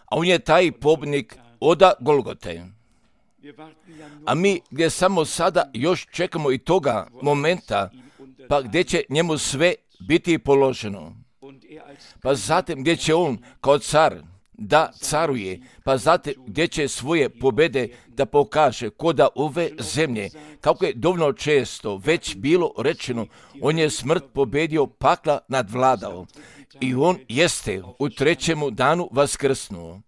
A on je taj pobjednik oda Golgote. A mi gdje samo sada još čekamo i toga momenta, pa gdje će njemu sve biti položeno. Pa zatim gdje će on kao car da caruje, pa zatim gdje će svoje pobjede da pokaže koda ove zemlje. Kako je dovoljno često već bilo rečeno, on je smrt pobjedio, pakla nadvladao. I on jeste u trećemu danu vaskrsnuo.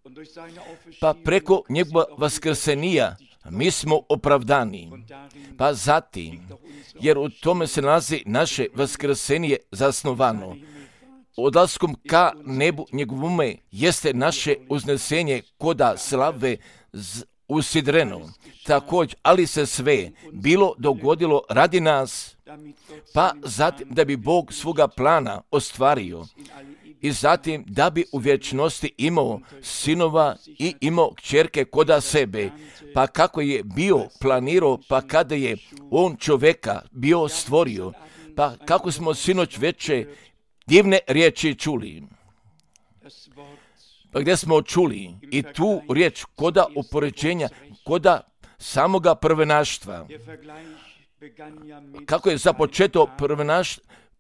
Pa preko njegova vaskrsenija mi smo opravdani. Pa zatim, jer u tome se nalazi naše vaskrsenije zasnovano. Odlaskom ka nebu njegovome jeste naše uznesenje koda slave usidreno. Također, ali se sve bilo dogodilo radi nas, pa zatim da bi Bog svoga plana ostvario i zatim da bi u vječnosti imao sinova i imao kćerke koda sebe, pa kako je bio planirao, pa kada je on čovjeka bio stvorio, pa kako smo sinoć veće divne riječi čuli. Pa gdje smo čuli i tu riječ koda upoređenja, koda samoga prvenaštva. Kako je započeto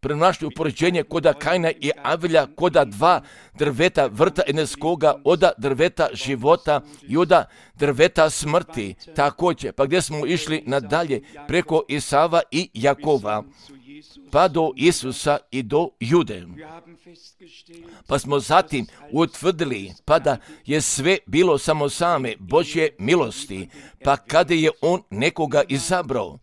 prvenaštvo upoređenje koda Kaina i Avelja, koda dva drveta vrta edenskoga, oda drveta života i oda drveta smrti. Također, pa gdje smo išli nadalje preko Isava i Jakova, pa do Isusa i do Jude. Pa smo zatim utvrdili, pa da je sve bilo samo same Božje milosti, pa kada je on nekoga izabrao,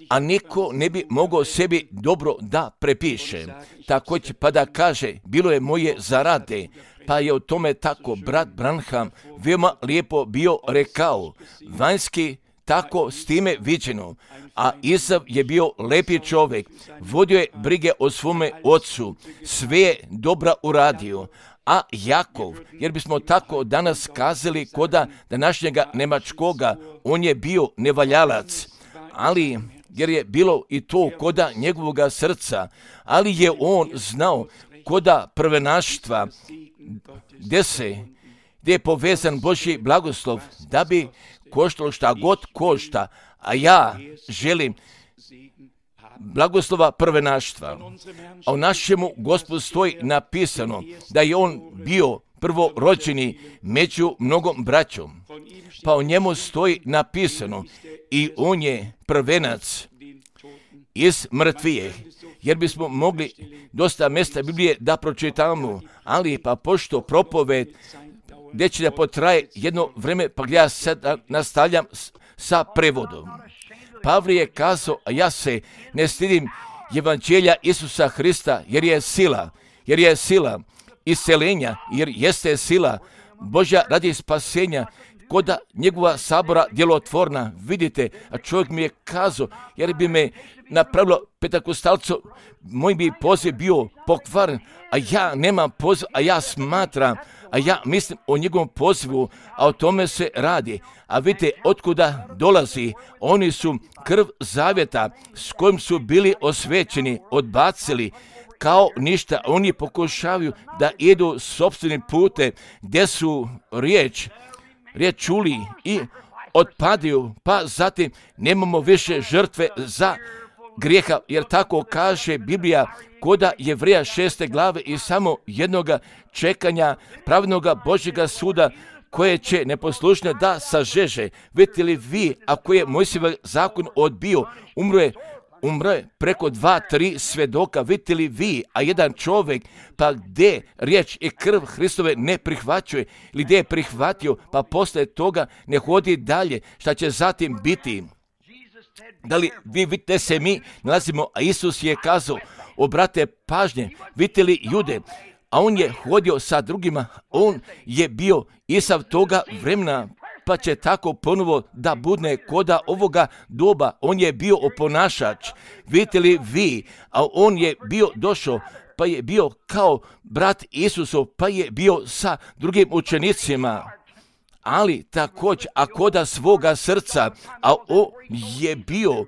a niko ne bi mogao sebi dobro da prepiše. Također pa da kaže, bilo je moje zarade, pa je o tome tako brat Branham veoma lijepo bio rekao, vanjski tako s time viđeno, a Isav je bio lepi čovjek, vodio je brige o svome ocu, sve je dobra uradio, a Jakov, jer bismo tako danas kazali koda današnjega Nemačkoga, on je bio nevaljalac, ali jer je bilo i to koda njegovoga srca, ali je on znao koda prvenaštva, gdje je povezan Božji blagoslov, da bi koštalo šta god košta, a ja želim blagoslova prvenaštva. A u našemu Gospodu stoji napisano da je on bio prvorođeni među mnogom braćom. Pa u njemu stoji napisano i on je prvenac iz mrtvijeh. Jer bismo mogli dosta mjesta Biblije da pročitamo, ali pa pošto propoved gdje će da potraje jedno vreme, pa gdje ja sad nastavljam sa prevodom. Pavle je kazao, a ja se ne stidim evanđelja Isusa Hrista, jer je sila isceljenja, jer jeste sila Božja radi spasenja, koda njegova sabora djelotvorna. Vidite, a čovjek mi je kazao, jer bi me napravilo petakostalco, moj bi poziv bio pokvaren, a ja nemam poziv, a ja smatram, a ja mislim o njegovom pozivu, a o tome se radi. A vidite, otkuda dolazi, oni su krv zavjeta s kojim su bili osvećeni, odbacili kao ništa. Oni pokušavaju da idu sopstvenim putem gdje su riječ čuli i otpadaju, pa zatim nemamo više žrtve za grijeha, jer tako kaže Biblija koda Jevreja 6. glave i samo jednoga čekanja pravednoga Božjega suda koje će neposlušne da sažeže. Vidite li vi, ako je Mojsijev zakon odbio, umro je preko 2-3 svjedoka, vidite li vi, a jedan čovjek, pa gdje riječ i krv Hristove ne prihvaćuje, ili gdje je prihvatio, pa posle toga ne hodi dalje, šta će zatim biti? Da li vi vidite se mi nalazimo, a Isus je kazao, obrate pažnje, vidite li Jude, a on je hodio sa drugima, on je bio Isav toga vremena, pa će tako ponovo da budne koda ovoga doba, on je bio oponašač, vidite li vi, a on je bio došao, pa je bio kao brat Isusov, pa je bio sa drugim učenicima, ali također, a koda svoga srca, a on je bio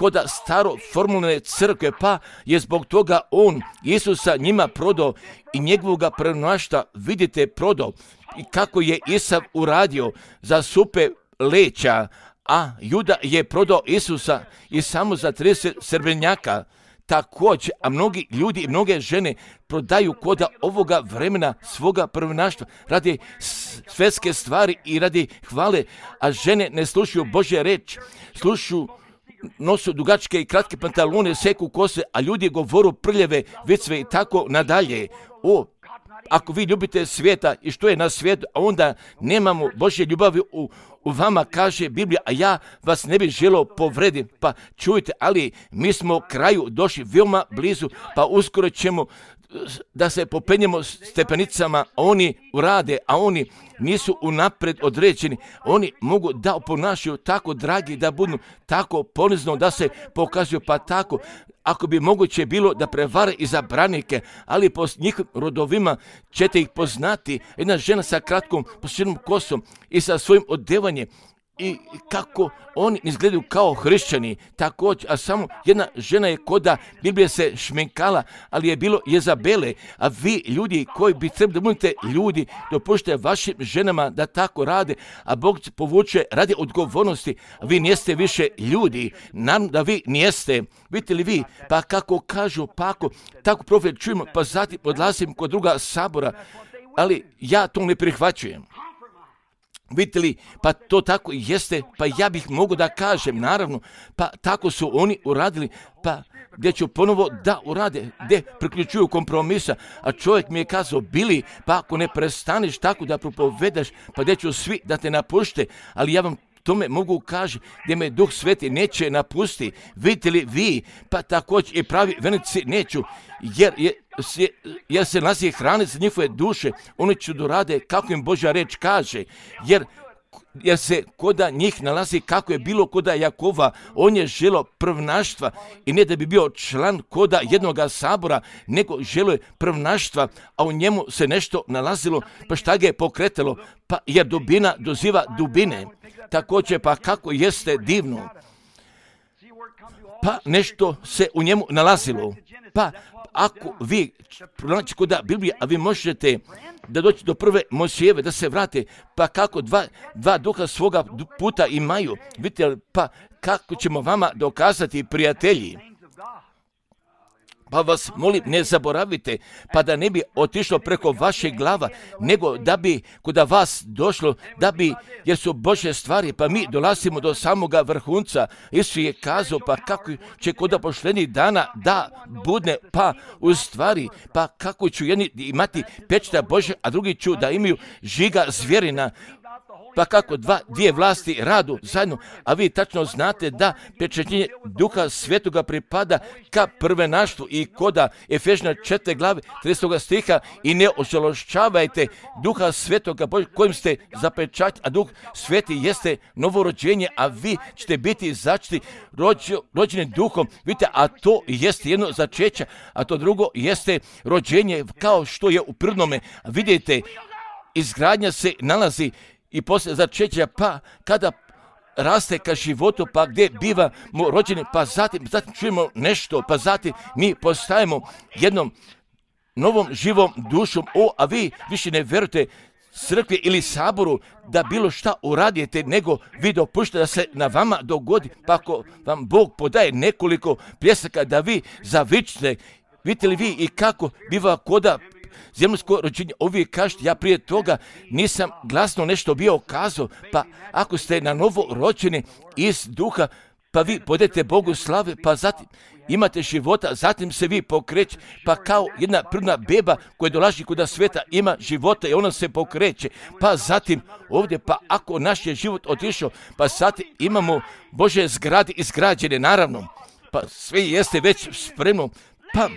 kod staro formulne crkve, pa je zbog toga on Isusa njima prodao i njegovoga prenošta, vidite, prodao. I kako je Isav uradio za supe leća, a Juda je prodao Isusa i samo za 30 srebrnjaka. Također, a mnogi ljudi i mnoge žene prodaju koda ovoga vremena svoga prvenaštva radi svetske stvari i radi hvale, a žene ne slušaju Božje reč, slušaju, nosu dugačke i kratke pantalone, seku kose, a ljudi govoru prljave vicve i tako nadalje. Ako vi ljubite svijeta i što je na svijetu, a onda nemamo Božje ljubavi u vama, kaže Biblija, a ja vas ne bih želio povrediti. Pa čujte, ali mi smo kraju došli veoma blizu, pa uskoro ćemo da se popenjemo stepenicama, a oni urade, a oni nisu unapred određeni. Oni mogu da oponašaju tako dragi, da budu tako ponizno, da se pokazuju, pa tako, ako bi moguće bilo da prevare i zabranike, ali po njihovim rodovima ćete ih poznati. Jedna žena sa kratkom posljednom kosom i sa svojim odevanjem i kako oni izgledaju kao hrišćani, također, a samo jedna žena je koda Biblija se šminkala, ali je bilo Jezabele, a vi ljudi koji bi trebali da budete ljudi, dopušte vašim ženama da tako rade, a Bog povuče radi odgovornosti, a vi nijeste više ljudi, naravno da vi nijeste, vidite li vi, pa kako kažu, pa ako tako profet čujemo, pa zatim odlazim kod druga sabora, ali ja to ne prihvaćujem. Vidite li, pa to tako jeste, pa ja bih mogu da kažem, naravno, pa tako su oni uradili, pa gdje ću ponovo da urade, gdje priključuju kompromisa, a čovjek mi je kazao, Bili, pa ako ne prestaneš tako da propovedaš, pa gdje ću svi da te napušte, ali ja vam tome mogu kaži, gdje me Duh Sveti neće napusti, vidite li vi, pa također i pravi vernici neću, jer se nalazi hrane za njihove duše, oni će dorade kako im Božja reč kaže, jer se koda njih nalazi kako je bilo koda Jakova, on je želio prvnaštva i ne da bi bio član koda jednoga sabora, nego želio prvnaštva, a u njemu se nešto nalazilo, pa šta ga je pokretalo, pa jer dubina doziva dubine, također pa kako jeste divno, pa nešto se u njemu nalazilo, pa ako vi pronaći kod Biblije, a vi možete da doći do prve Mojsijeve, da se vrate, pa kako dva duha svoga puta imaju, vidite, pa kako ćemo vama dokazati, prijatelji. Pa vas molim, ne zaboravite, pa da ne bi otišlo preko vaših glava, nego da bi kod vas došlo, jer su Božje stvari, pa mi dolazimo do samoga vrhunca. Isus je kazao, pa kako će kod poštenih dana da budne, pa u stvari, pa kako ću jedni imati pečata Božja, a drugi ću da imaju žiga zvjerina. Pa kako dvije vlasti radu zajedno, a vi tačno znate da pečaćenje Duha Svetoga pripada ka prvenaštvu i koda Efežna 4 glave 30 stiha i ne ožalošćavajte Duha Svetoga kojim ste zapečaćeni, a Duh Sveti jeste novorođenje, a vi ćete biti začeti rođeni Duhom, vidite, a to jeste jedno začeće, a to drugo jeste rođenje kao što je u prirodnome. Vidite, izgradnja se nalazi i poslije začeća, pa kada raste ka životu, pa gdje bivamo rođeni, pa zatim čujemo nešto, pa zatim mi postajemo jednom novom živom dušom, a vi više ne verujete crkvi ili saboru da bilo šta uradite, nego vi dopuštate da se na vama dogodi, pa ako vam Bog podaje nekoliko pljesaka da vi zavičite, vidite li vi i kako biva koda zemljsko rođenje, uvijek kažete, ja prije toga nisam glasno nešto bio kazao, pa ako ste na novo rođeni iz duha, pa vi podete Bogu slave, pa zatim imate života, zatim se vi pokreće, pa kao jedna prirodna beba koja dolazi kod sveta ima života i ona se pokreće, pa zatim ovdje, pa ako naš je život otišao, pa zatim imamo Božje zgrade izgrađene, naravno, pa sve jeste već spremno, pa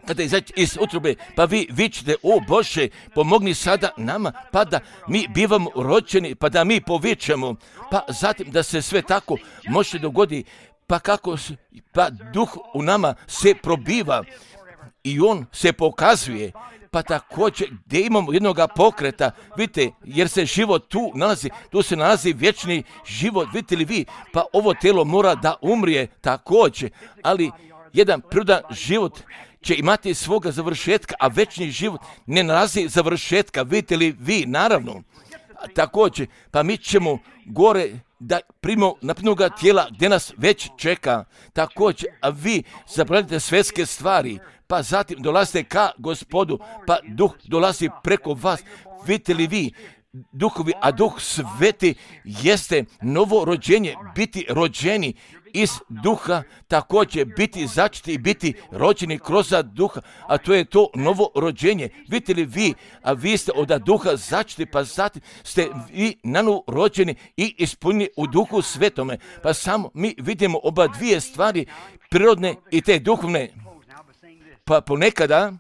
kada izaći iz utrobe, pa vi vičete, o Bože, pomogni sada nama, pa da mi bivamo rođeni, pa da mi povičemo, pa zatim da se sve tako može dogodi, pa Duh u nama se probiva i on se pokazuje, pa također gdje imamo jednoga pokreta, vidite, jer se život tu se nalazi vječni život, vidite li vi, pa ovo tijelo mora da umrije također, ali jedan prirodan život će imati svoga završetka, a večni život ne nalazi završetka, vidite li vi, naravno. Također, pa mi ćemo gore da primimo naprednoga tijela gdje nas već čeka. Također, a vi zaboravite svjetske stvari, pa zatim dolazite ka Gospodu, pa duh dolazi preko vas. Vidite li vi, duhovi, a duh sveti jeste novo rođenje, biti rođeni iz duha, također biti začeti i biti rođeni kroz duha, a to je to novo rođenje. Vidite li vi, a vi ste od duha začeti, pa zatim ste vi nanovo rođeni i ispunjeni u duhu svetome. Pa samo mi vidimo oba dvije stvari, prirodne i te duhovne. Pa ponekada,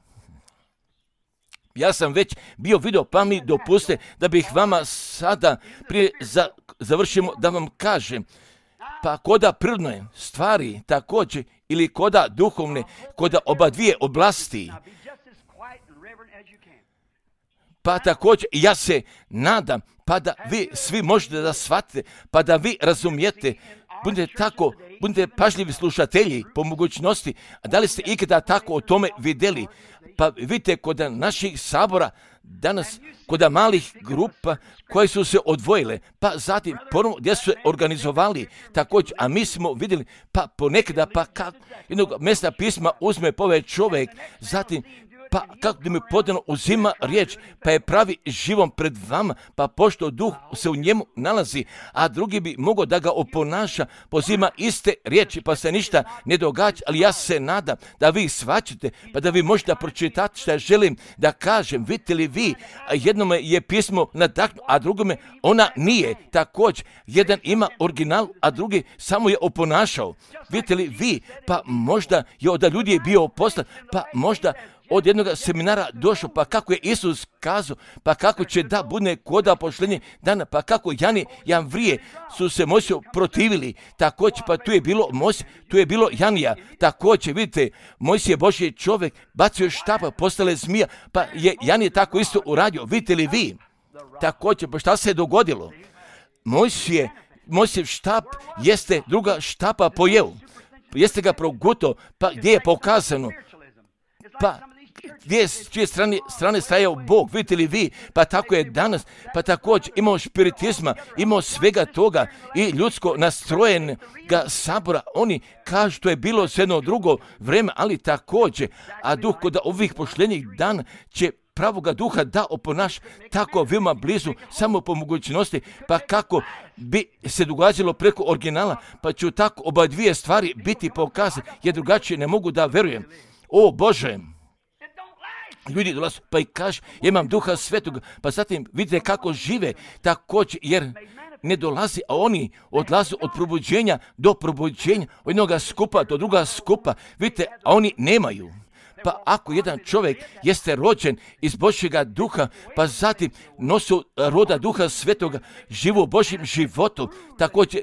ja sam već bio vidio, pa mi dopuste da bih vama sada prije završimo da vam kažem, pa koda prirodne stvari također ili koda duhovne, koda oba dvije oblasti. Pa također ja se nadam, pa da vi svi možete da shvatite, pa da vi razumijete, budite pažljivi slušatelji po mogućnosti. A da li ste ikada tako o tome vidjeli? Pa vidite, kod naših sabora danas, kod malih grupa koje su se odvojile, pa zatim ponovno gdje su se organizovali također, a mi smo vidjeli, pa ponekada, pa kako jednog mjesta pisma uzme pove čovjek, zatim pa kako da mi podano uzima riječ, pa je pravi živom pred vama, pa pošto duh se u njemu nalazi, a drugi bi mogao da ga oponaša, pozima iste riječi, pa se ništa ne događa, ali ja se nadam da vi shvaćate, pa da vi možete pročitati što želim da kažem. Vidite li vi, jednome je pismo nadahnuto, a drugome ona nije. Također, jedan ima original, a drugi samo je oponašao. Vidite li vi, pa možda je od ljudi bio poslan, pa možda od jednog seminara došao, pa kako je Isus kazao, pa kako će da bude koda pošlenje dana, pa kako Jani Janvrije su se Mojsiju protivili, također, pa tu je bilo Mojsije, tu je bilo Janija, također, vidite, Mojsije Božji čovjek, bacio štapa, postale zmija, pa je Janije tako isto uradio, vidite li vi, također, pa šta se je dogodilo? Mojsijev štap jeste druga štapa pojeo, jeste ga progutao, pa gdje je pokazano, pa gdje s čije strane stajao Bog, vidite li vi, pa tako je danas, pa također imamo špiritizma, imamo svega toga i ljudsko nastrojenoga sabora, oni kažu to je bilo sve jedno drugo vreme, ali također, a duh kod ovih pošljenih dana će pravoga duha da oponaš tako veoma blizu, samo po mogućnosti, pa kako bi se događalo preko originala, pa ću tako oba dvije stvari biti pokazane, jer drugačije ne mogu da verujem. O Bože, ljudi dolaze pa i kažu, ja imam duha svetog, pa zatim vidite kako žive također, jer ne dolazi, a oni odlaze od probuđenja do probuđenja, od jednoga skupa do druga skupa, vidite, a oni nemaju. Pa ako jedan čovjek jeste rođen iz Božjega duha, pa zatim nosi roda duha svetoga, živu Božjim životom, također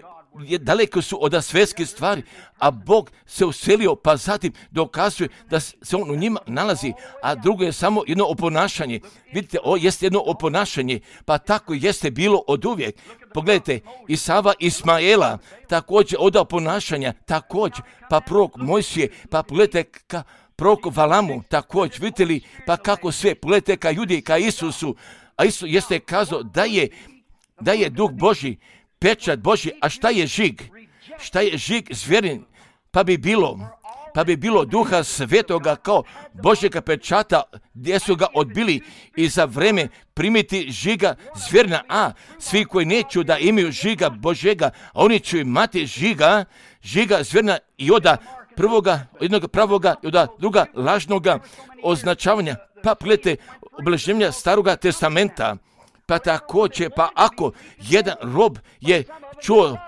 daleko su od svjetskih stvari, a Bog se uselio, pa zatim dokazuje da se on u njima nalazi, a drugo je samo jedno oponašanje. Vidite, ovo jeste jedno oponašanje, pa tako jeste bilo od uvijek. Pogledajte, Isava Ismaela, također od oponašanja, također, pa prorok Mojsije, pa pogledajte ka prorok Valamu, također, vidite li, pa kako sve, pogledajte ka Judi, ka Isusu, a Isus jeste kazao da je duh Božji, pečat Božji, a šta je žig? Šta je žig zvjerin? Pa bi bilo duha svetoga kao Božjega pečata gdje su ga odbili i za vreme primiti žiga zvjerina, a svi koji neću da imaju žiga Božjega, oni će imati žiga zvjerina i od prvoga, jednog pravoga i od druga lažnoga označavanja. Pa pogledajte obeleženja Staroga testamenta. Pa također, pa ako jedan rob je čuo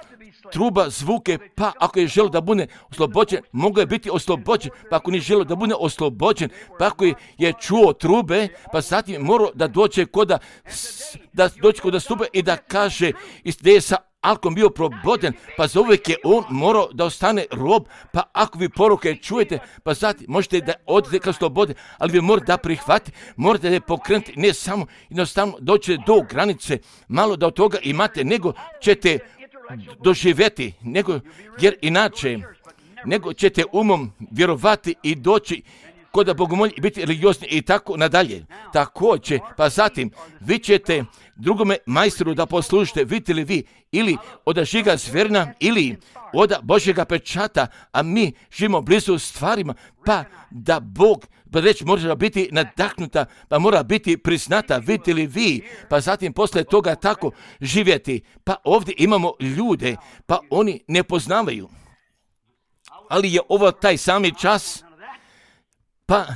truba, zvuke, pa ako je želio da bude oslobođen, mogao je biti oslobođen, pa ako nije želio da bude oslobođen, pa ako je čuo trube, pa zatim morao da dođe kod stupe i da kaže gdje je sa ako on bio proboden, pa za uvijek je on morao da ostane rob, pa ako vi poruke čujete, pa znate, možete da odete ka slobode, ali vi morate da prihvatite, morate da je pokrenuti, ne samo jednostavno doći do granice, malo da od toga imate, nego ćete doživjeti, jer inače, nego ćete umom vjerovati i doći kod bogomolja i biti religiozni i tako nadalje. Također, pa zatim, vi ćete drugome majstoru da poslužite, vidite li vi, ili od žiga zverna, ili od Božjega pečata, a mi živimo blizu stvarima, pa da Bog, pa reći mora biti nadahnuta, pa mora biti priznata, vidite li vi, pa zatim posle toga tako živjeti. Pa ovdje imamo ljude, pa oni ne poznavaju. Ali je ovo taj sami čas, pa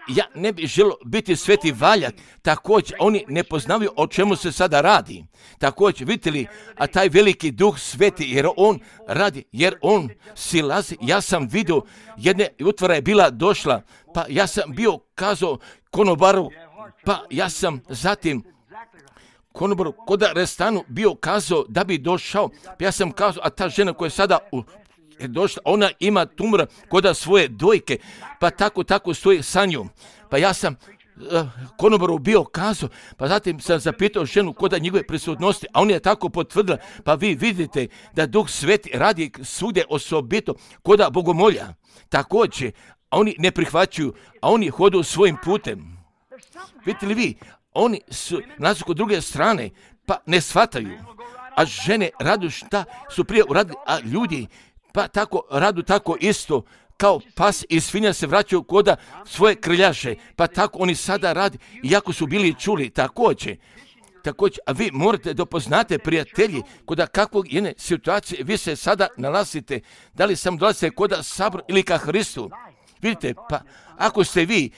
ja ne bih želio biti sveti valjak, također oni ne poznavaju o čemu se sada radi. Također, vidite li, a taj veliki duh sveti, jer on radi, jer on silazi. Ja sam vidio, jedne utvara je bila došla, pa ja sam bio kazao konobaru, pa ja sam zatim konobaru kod restanu bio kazao da bi došao, pa ja sam kazao, a ta žena koja je sada je došla, ona ima tumora kod svoje dojke, pa tako stoji sa njom. Pa ja sam konobaru bio kazao, pa zatim sam zapitao ženu kod njegove prisutnosti, a on je tako potvrdila, pa vi vidite da Duh Sveti radi svugdje osobito kod bogomolja. Također, a oni ne prihvaćaju, a oni hodu svojim putem. Vidite li vi, oni su nazoči kod druge strane, pa ne shvataju. A žene radu šta su prije uradili, a ljudi pa tako radu tako isto, kao pas i svinja se vraćaju kod svoje krljaše, pa tako oni sada radi, iako su bili čuli. Također, a vi morate da poznate, prijatelji, kod kakvog jedne situacije vi se sada nalazite, da li sam dolazite kod sabor ili ka Hristu. Vidite, pa ako ste vi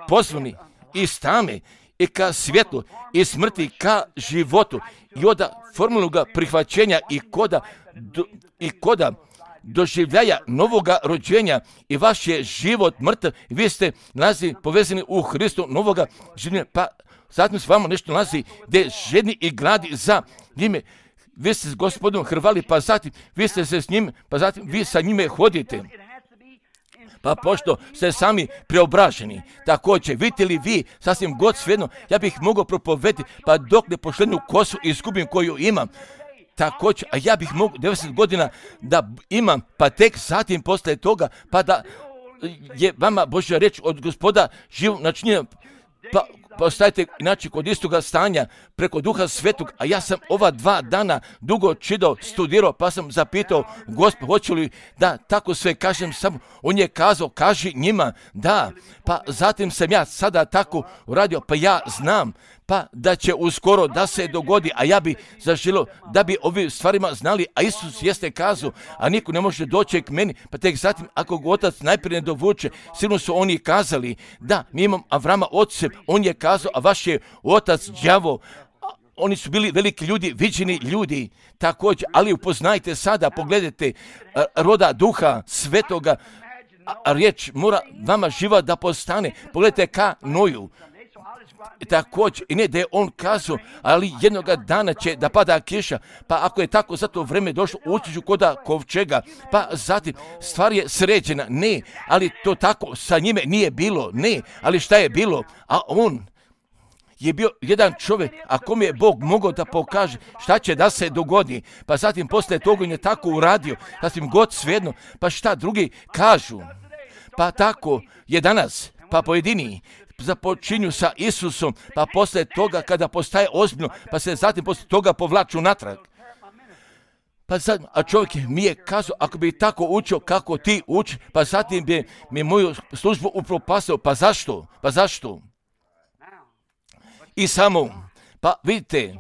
pozvani iz tame i ka svjetlu i smrti ka životu i od formalnog prihvaćenja i koda doživljaja novoga rođenja i vaš je život mrtav, vi ste povezani u Hristu novoga življenja, pa zatim s vama nešto nalazi gdje žedni i gladi za njime. Vi ste s Gospodom hrvali, pa zatim vi ste se s njim, pa zatim vi sa njime hodite. Pa pošto ste sami preobraženi, također, vidite li vi, sasvim god svejedno, ja bih mogao propovediti, pa dok ne pošlednu kosu izgubim koju imam, također, a ja bih mogao 90 godina da imam, pa tek zatim posle toga, pa da je vama Božja reč od Gospoda živ načinjena, pa postajete inače kod istoga stanja preko Duha Svetog, a ja sam ova 2 dana dugo čitao, studirao, pa sam zapitao Gospod, hoću li da tako sve kažem samo, on je kazao, kaži njima, da, pa zatim sam ja sada tako uradio, pa ja znam, pa da će uskoro da se dogodi, a ja bi zaželio da bi ovim stvarima znali, a Isus jeste kazao, a niko ne može doći k meni, pa tek zatim ako ga otac najprije ne dovuče, sigurno su oni kazali, da, mi imam Avrama oce, on je kazao, a vaš je otac đavo. Oni su bili veliki ljudi, viđeni ljudi, također, ali upoznajte sada, pogledajte roda Duha Svetoga, a riječ mora vama živa da postane, pogledajte ka Noju. Također, i ne da je on kazao, ali jednoga dana će da pada kiša, pa ako je tako za to vreme došlo, ući ću kod kovčega, pa zatim stvar je sređena, ne, ali to tako sa njime nije bilo, ne, ali šta je bilo, a on je bio jedan čovjek, a kom je Bog mogao da pokaže šta će da se dogodi, pa zatim posle toga on je tako uradio, zatim god svejedno, pa šta drugi kažu, pa tako je danas, pa pojedini započinju sa Isusom, pa posle toga kada postaje ozbiljno, pa se zatim posle toga povlaču natrag. Pa sad, a čovjek mi je kazao, ako bi tako učio kako ti uči, pa zatim bi mi moju službu upropastio, pa zašto? I samo, pa vidite,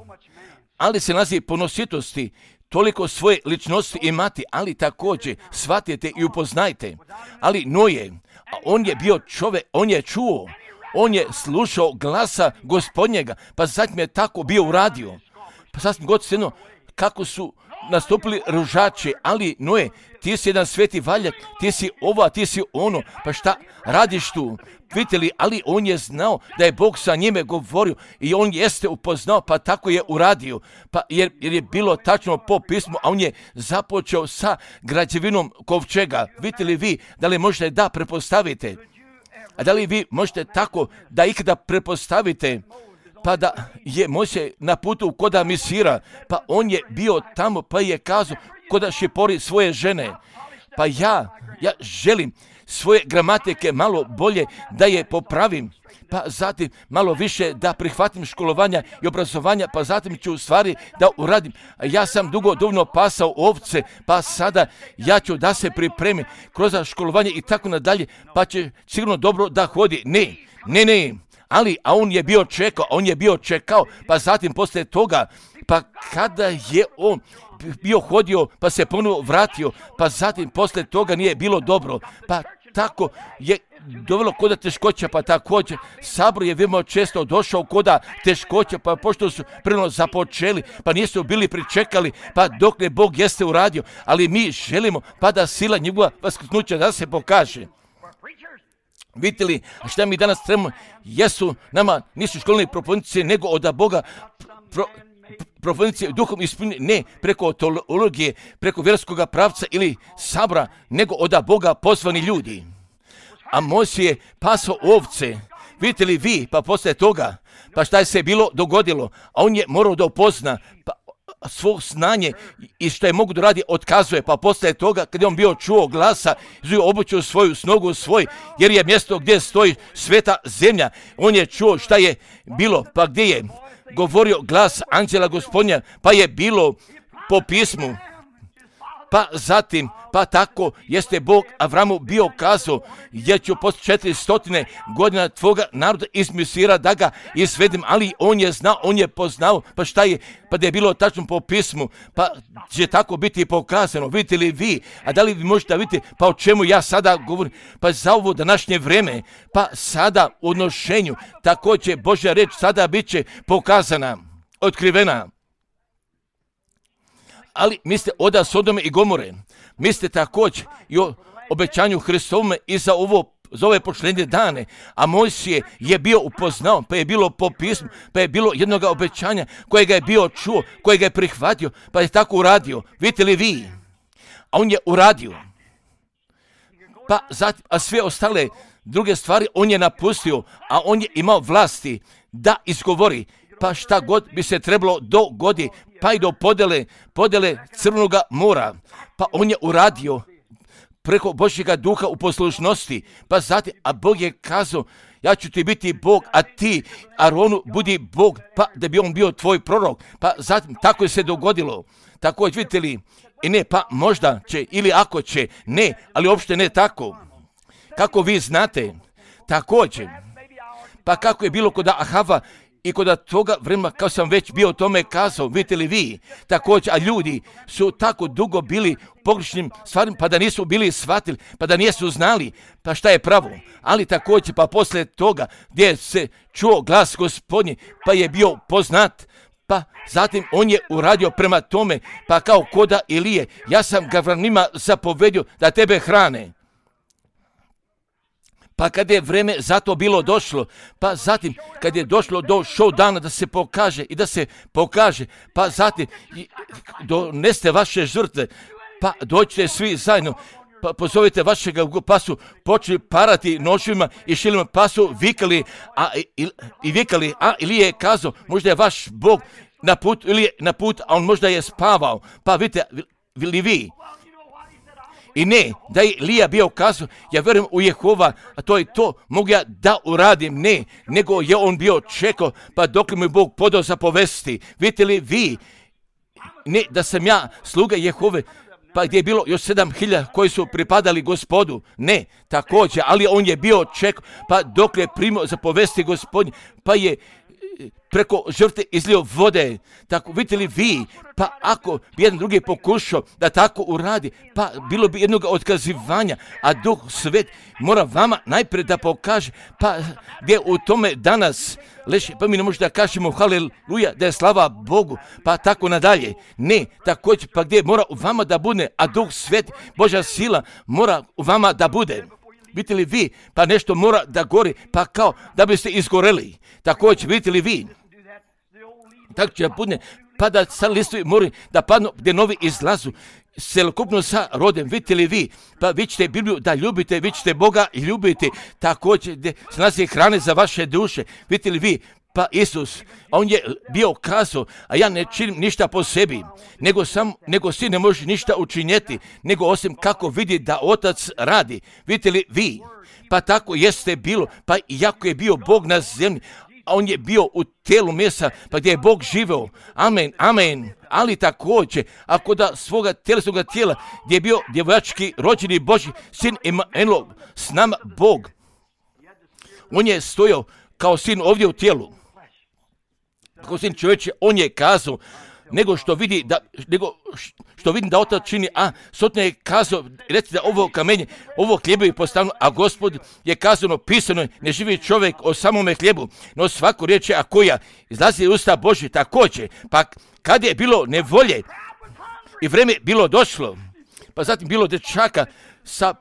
ali se nalazi ponositosti, toliko svoje ličnosti imati, ali također shvatite i upoznajte. Ali Noje, a on je bio čovjek, on je čuo, on je slušao glasa Gospodnjega, pa zatim je tako bio uradio. Pa sasvim god svejedno kako su nastupili ružači, ali Noe, ti si jedan sveti valjak, ti si ovo, ti si ono, pa šta radiš tu? Vidite li, ali on je znao da je Bog sa njime govorio i on jeste upoznao, pa tako je uradio. Pa jer je bilo tačno po pismu, a on je započeo sa građevinom kovčega. Vidite li vi, da li možete da prepostavite? A da li vi možete tako da ikada prepostavite? Pa da je Mojsije na putu koda Misira, pa on je bio tamo, pa je kazao koda šipori svoje žene. Pa ja želim svoje gramatike malo bolje da je popravim, pa zatim malo više da prihvatim školovanja i obrazovanja, pa zatim ću stvari da uradim. Ja sam dugo dovoljno pasao ovce, pa sada ja ću da se pripremim kroz školovanje i tako nadalje, pa će sigurno dobro da hodi. Ne. Ali, a on je bio čekao, pa zatim poslije toga, pa kada je on bio hodio, pa se ponovo vratio, pa zatim poslije toga nije bilo dobro, pa tako je dovelo koda teškoća, pa također sabor je veoma često došao koda teškoća, pa pošto su prvo započeli, pa nisu bili pričekali, pa dok ne Bog jeste uradio, ali mi želimo pa da sila njegova vaskrsnuća da se pokaže. Vidite li, šta mi danas trebamo, nisu školni propovjednici, nego od Boga propovjednici duhom ispunjeni, ne preko teologije, preko vjerskog pravca ili sabora, nego od Boga pozvani ljudi. A Mojsije je pasao ovce, vidite li vi, pa poslije toga, pa šta je se bilo dogodilo, a on je morao da upozna, pa svog znanje i što je mogu da radi otkazuje, pa poslije toga kad je on bio čuo glasa, obučio svoju snogu svoj, jer je mjesto gdje stoji sveta zemlja, on je čuo šta je bilo, pa gdje je govorio glas anđela Gospodnja, pa je bilo po pismu, pa zatim, pa tako jeste Bog Avramu bio kazao, jer ću poslije 400 godina tvoga naroda iz Misira da ga izvedem, ali on je znao, on je poznao, pa šta je, pa da je bilo tačno po pismu, pa će tako biti pokazano, vidite li vi, a da li vi možete vidjeti, pa o čemu ja sada govorim, pa za ovo današnje vreme, pa sada u odnošenju, tako će Božja reč sada bit će pokazana, otkrivena. Ali mislite od Sodome i Gomore, mislite također i o obećanju Hristovome i za ove posljednje dane, a Mojsije je bio upoznao, pa je bilo po pismu, pa je bilo jednog obećanja kojega je bio čuo, kojega je prihvatio, pa je tako uradio. Vidite li vi? A on je uradio. Pa zatim, a sve ostale druge stvari on je napustio, a on je imao vlasti da izgovori, pa šta god bi se trebalo dogodi, pa i do podele Crvenog mora, pa on je uradio preko Božjega duha u poslušnosti, pa zatim, a Bog je kazao, ja ću ti biti Bog, a ti, Aronu, budi Bog, pa da bi on bio tvoj prorok, pa zatim, tako je se dogodilo, također vidite li, i ne, pa možda će, ili ako će, ne, ali uopšte ne tako, kako vi znate, također, pa kako je bilo kod Ahava, i kod toga vremena, kao sam već bio o tome kazao, vidite li vi, također, a ljudi su tako dugo bili u pogrešnim stvarima, pa da nisu bili shvatili, pa da nisu znali, pa šta je pravo. Ali također, pa poslije toga, gdje se čuo glas Gospodnji, pa je bio poznat, pa zatim on je uradio prema tome, pa kao koda Ilije, ja sam Gavranima zapovedio da tebe hrane. Pa kad je vreme za to bilo došlo, pa zatim kad je došlo do show dana da se pokaže, pa zatim doneste vaše žrtve, pa dođite svi zajedno, pa pozovite vašega, pa su počeli parati noževima i šilima, pa su vikali, a Ilija je kazao, možda je vaš Bog na put, ili je na put, a on možda je spavao, pa vidite li vi. I ne, da je Ilija bio kazao, ja vjerujem u Jehova, a to je to, mogu ja da uradim, ne, nego je on bio čekao, pa dok mu je Bog podao zapovesti. Vidite li vi, ne, da sam ja sluga Jehove, pa gdje je bilo još 7.000 koji su pripadali Gospodu, ne, također, ali on je bio čekao, pa dok je primio zapovesti Gospodnje, pa je preko žrtve izlio vode. Tako vidite li vi, pa ako bi jedan drugi pokušao da tako uradi, pa bilo bi jednog otkazivanja, a Duh Svet mora vama najprije da pokaže, pa gdje u tome danas leži, pa mi ne možemo da kažemo haleluja, da je slava Bogu, pa tako nadalje. Ne, također, pa gdje mora u vama da bude, a Duh Svet, Božja sila mora u vama da bude. Vidite li vi, pa nešto mora da gori, pa kao da biste izgoreli. Također, vidite li vi, tako će da bude, pa da sad listovi mori da padnu gdje novi izlazu, celokupno sa rodem. Vidite li vi, pa vi ćete Bibliju da ljubite, vi ćete Boga ljubiti, također gdje se nalazi hrane za vaše duše. Vidite li vi, pa Isus, on je bio kazao, a ja ne činim ništa po sebi, nego si ne može ništa učinjeti, nego osim kako vidi da Otac radi. Vidite li vi, pa tako jeste bilo, pa iako je bio Bog na zemlji, a on je bio u tijelu mesa, pa gdje je Bog živeo. Amen, amen. Ali također, ako da svoga tjelesnoga tijela, gdje je bio djevojački rođeni Božji sin Emanuel, s nama Bog, on je stojao kao sin ovdje u tijelu. Kao sin čovječe, on je kazao, nego što vidim da Otac čini, a Sotne je kazao, recite da ovo kamenje, ovo hljebo je postavljeno, a Gospod je kazano, pisano je, ne živi čovjek o samome hljebu, no svaku riječ a koja izlazi iz usta Božje. Također, pa kad je bilo nevolje i vreme bilo došlo, pa zatim bilo dečaka sa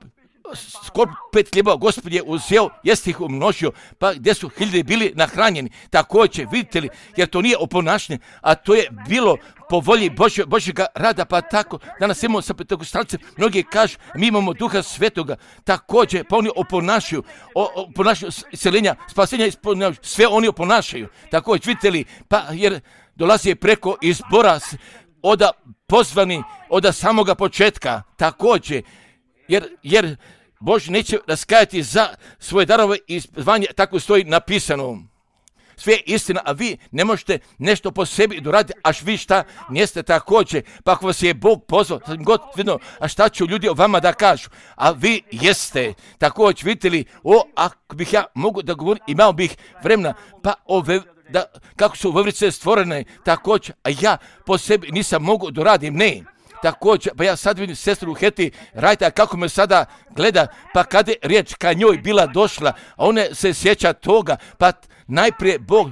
skoro 5 hljeba, Gospod je uzeo, jeste ih umnožio, pa gdje su hiljade bili nahranjeni. Također, vidite li, jer to nije oponašanje, a to je bilo po volji Božjega rada, pa tako, danas imamo sa Pentekostalce, mnogi kažu, mi imamo Duha Svetoga, također, pa oni oponašaju iseljenja, spasenja, sve oni oponašaju. Također, vidite li, pa jer dolazi preko izbora oda pozvani, od samoga početka, također, jer Bož neće raskajati za svoje darove i zvanje, tako stoji napisano. Sve je istina, a vi ne možete nešto po sebi doraditi, až vi šta niste također. Pa ako vas je Bog pozvao, a šta će ljudi o vama da kažu? A vi jeste. Također, vidite li, ako bih ja mogu da govorim, imao bih vremena, pa kako su veverice stvorene, također, a ja po sebi nisam mogu doradim, ne. Također, pa ja sad vidim sestru Heti Rajta kako me sada gleda, pa kada je riječ ka njoj bila došla, a ona se sjeća toga, pa najprije Bog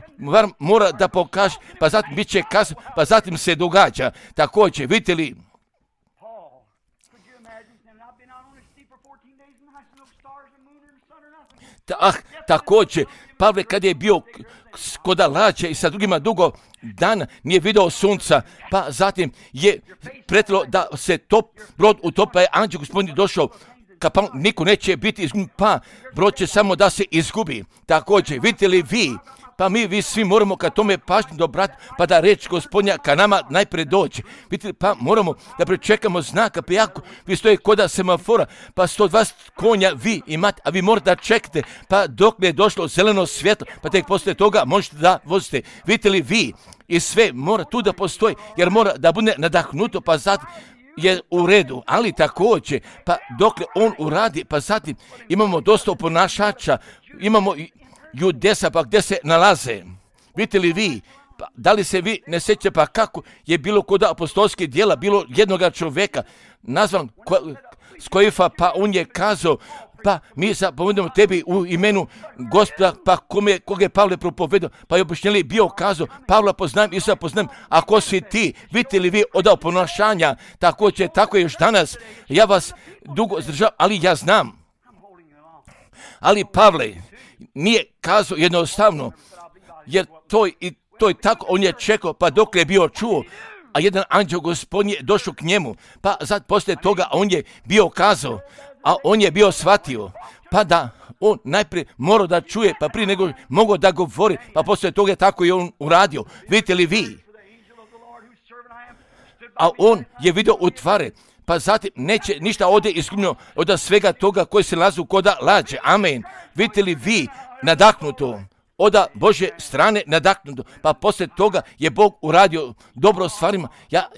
mora da pokaže, pa zatim bit će kasno, pa zatim se događa. Također, vidite li, također, Pavle kad je bio kod lađe i sa drugima dugo dana nije vidio sunca, pa zatim je pretilo da se brod utopa, je anđel Gospodin došao, pa niko neće biti izgubljen, pa brod će samo da se izgubi. Također, vidite li vi, pa vi svi moramo ka tome pažnju dobrati, pa da reč Gospodnja ka nama najprije dođe. Vidite li, pa moramo da pričekamo znaka, pa jako vi stoje koda semafora, pa 120 konja vi imate, a vi morate da čekate, pa dok ne je došlo zeleno svjetlo, pa tek poslije toga možete da vozite. Vidite li vi, i sve mora tu da postoji, jer mora da bude nadahnuto, pa zatim je u redu, ali također, pa dokle on uradi, pa zatim imamo dosta oponašača, imamo judesa, pa gdje se nalaze. Vidite li vi, pa da li se vi ne sjećate, pa kako je bilo kod apostolskih djela, bilo jednoga čovjeka, nazvan Skojifa, pa on je kazao, pa mi zapovedamo tebi u imenu Gospoda, pa koga je Pavle propovedao, pa je objašnjeli bio kazao, Pavla poznajem, Isusa poznajem, a ko si ti? Vidite li vi od oponašanja, također, tako je još danas, ja vas dugo zdržavam, ali ja znam. Ali Pavle nije kazao jednostavno, jer to je tako, on je čekao, pa dok je bio čuo, a jedan anđel Gospodin je došao k njemu, pa sad poslije toga on je bio kazao, a on je bio shvatio, pa da on najprije morao da čuje, pa prije nego mogao da govori, pa poslije toga tako je on uradio. Vidite li vi? A on je vidio u tvare, pa zatim neće ništa ovdje izgubljeno od svega toga koji se nalazi koda lađe. Amen. Vidite li vi nadahnuto? Od Božje strane nadahnuto, pa poslije toga je Bog uradio dobro stvarima. Ja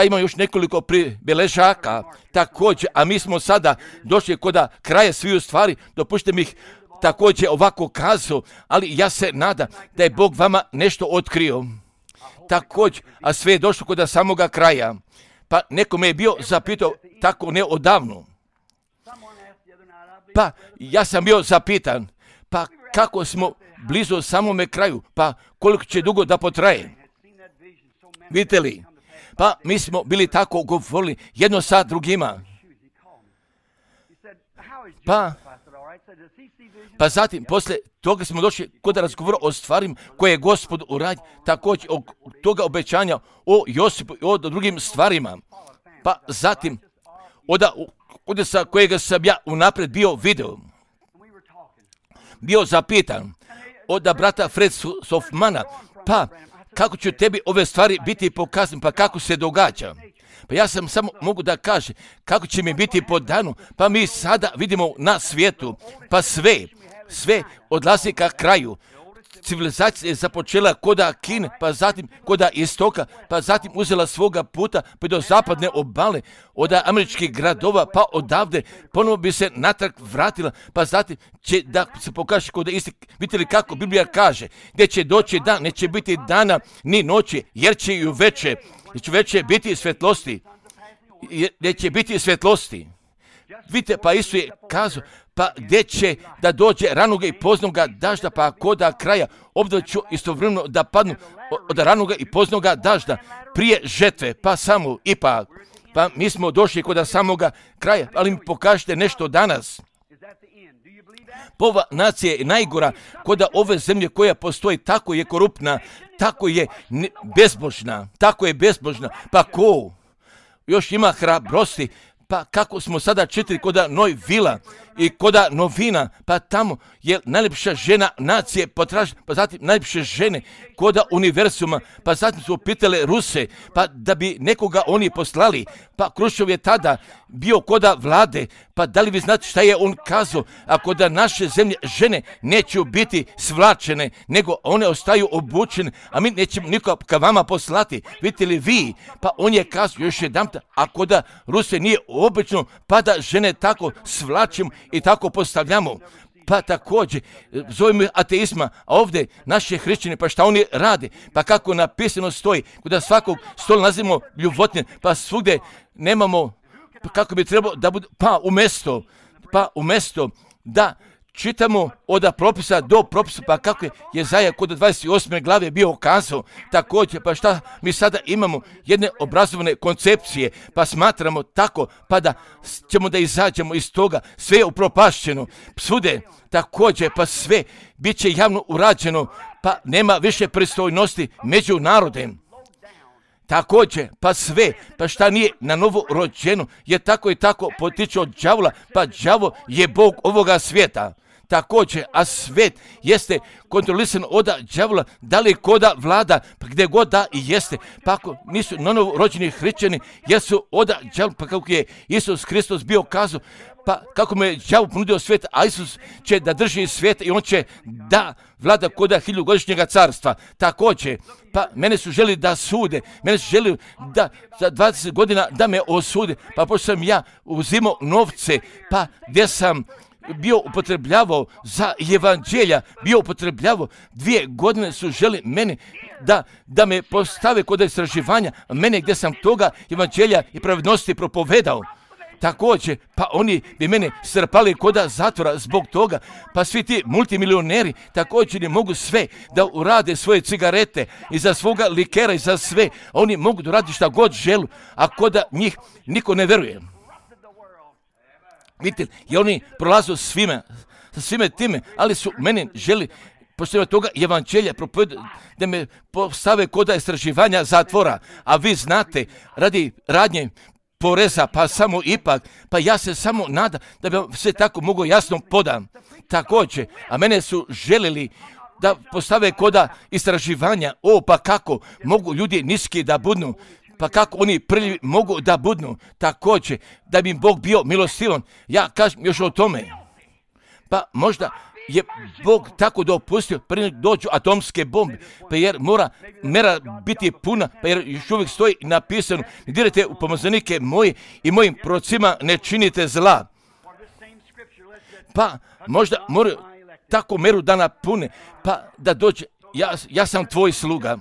imam još nekoliko pribeležaka također, a mi smo sada došli kod kraja sviju stvari, dopušte mi ih također ovako kazao, ali ja se nadam da je Bog vama nešto otkrio. Također, a sve je došlo kod samoga kraja. Pa neko me je bio zapitao tako ne odavno. Pa ja sam bio zapitan, pa kako smo blizu samome kraju, pa koliko će dugo da potraje. Vidite li? Pa mi smo bili tako govorili jedno sa drugima. Pa zatim, poslije toga smo došli kod razgovora o stvarima koje je Gospod uradio, također o toga obećanja o Josipu i o drugim stvarima. Pa zatim, od sa kojega sam ja unaprijed bio video, bio zapitan od brata Fred Sofmana, pa kako će tebi ove stvari biti pokazane, pa kako se događa. Pa ja sam samo mogu da kažem kako će mi biti podano, pa mi sada vidimo na svijetu, pa sve odlazi ka kraju. Civilizacija je započela koda Kine, pa zatim koda istoka, pa zatim uzela svoga puta pa do zapadne obale, od američkih gradova, pa odavde ponovo bi se natrag vratila, pa zatim će da se pokaže koda isti. Vidite li kako Biblija kaže, gdje će doći dan, neće biti dana ni noći, jer će i uveče biti svjetlosti, gdje će biti svjetlosti. Vidite, pa Isus je kazao, pa gdje će da dođe ranoga i poznoga dažda, pa koda kraja obdobje ću istovremeno da padnu od ranoga i poznoga dažda prije žetve, pa samo ipak. Pa mi smo došli kod samoga kraja, ali mi pokažete nešto danas. Ova nacija je najgora kod ove zemlje koja postoji, tako je koruptna, tako je bezbožna, pa ko još ima hrabrosti, pa kako smo sada čitali koda Noj Vila i koda novina, pa tamo je najljepša žena nacije potražena, pa zatim najljepše žene koda univerzuma, pa zatim su pitale Ruse, pa da bi nekoga oni poslali, pa Kruščov je tada bio koda vlade, pa da li vi znate šta je on kazao, ako da naše zemlje žene neće biti svlačene, nego one ostaju obučene, a mi nećemo niko ka vama poslati, vidite li vi, pa on je kazao još jedanput, ako da Ruse nije obično, pa da žene tako svlačimo i tako postavljamo. Pa također, zovemo ateizma, a ovdje naše hrišćani, pa šta oni rade, pa kako napisano stoji, kada svakog stola nazivamo ljubotnje, pa svugdje nemamo, pa kako bi trebalo da bude, pa umjesto da čitamo od propisa do propisa, pa kako je Jezaja kod 28. glave bio kazao, također, pa šta mi sada imamo jedne obrazovane koncepcije, pa smatramo tako, pa da ćemo da izađemo iz toga, sve je upropašćeno, svude, također, pa sve bit će javno urađeno, pa nema više pristojnosti među narodem. Također, pa sve, pa šta nije na novo rođeno, je tako i tako potiče od đavola, pa đavo je Bog ovoga svijeta. Također, a svijet jeste kontrolisan od đavola, da li koda vlada, pa gdje god da i jeste, pa ako nisu na novo rođeni hrišćani, jer su od đavola, pa kako je Isus Hristos bio kazao, pa kako me đavo ponudio svijet, a Isus će da drži svijet i on će da vlada koda 1000-godišnjega carstva. Također, pa mene su želi da sude, mene su želi da za 20 godina da me osude, pa pošto sam ja uzimao novce, pa gdje sam bio upotrebljavao za evanđelja, bio upotrebljavao 2 godine su želi mene da me postave kod istraživanja, mene gdje sam toga evanđelja i pravednosti propovedao. Također, pa oni bi mene strpali koda zatvora zbog toga, pa svi ti multimilioneri također ne mogu sve da urade svoje cigarete i za svoga likera i za sve, oni mogu da uradi šta god želu, a koda njih niko ne veruje. Vidite, i oni prolaze sa svime time, ali su mene želi pošto toga evanđelja propovedati da me postave koda istraživanja zatvora, a vi znate, radi radnje poreza, pa samo ipak, pa ja se samo nadam da bi vam sve tako mogo jasno podam. Također, a mene su želili da postave koda istraživanja, pa kako mogu ljudi niski da budnu, pa kako oni prljivi mogu da budnu, također, da bi im Bog bio milostivan. Ja kažem još o tome, pa možda je Bog tako dopustio prije dođu atomske bombe, pa jer mera biti puna, pa jer još uvijek stoji napisano, ne dirajte u pomazanike moje i mojim procima ne činite zla. Pa možda moraju tako meru da napune, pa da dođe, ja sam tvoj sluga.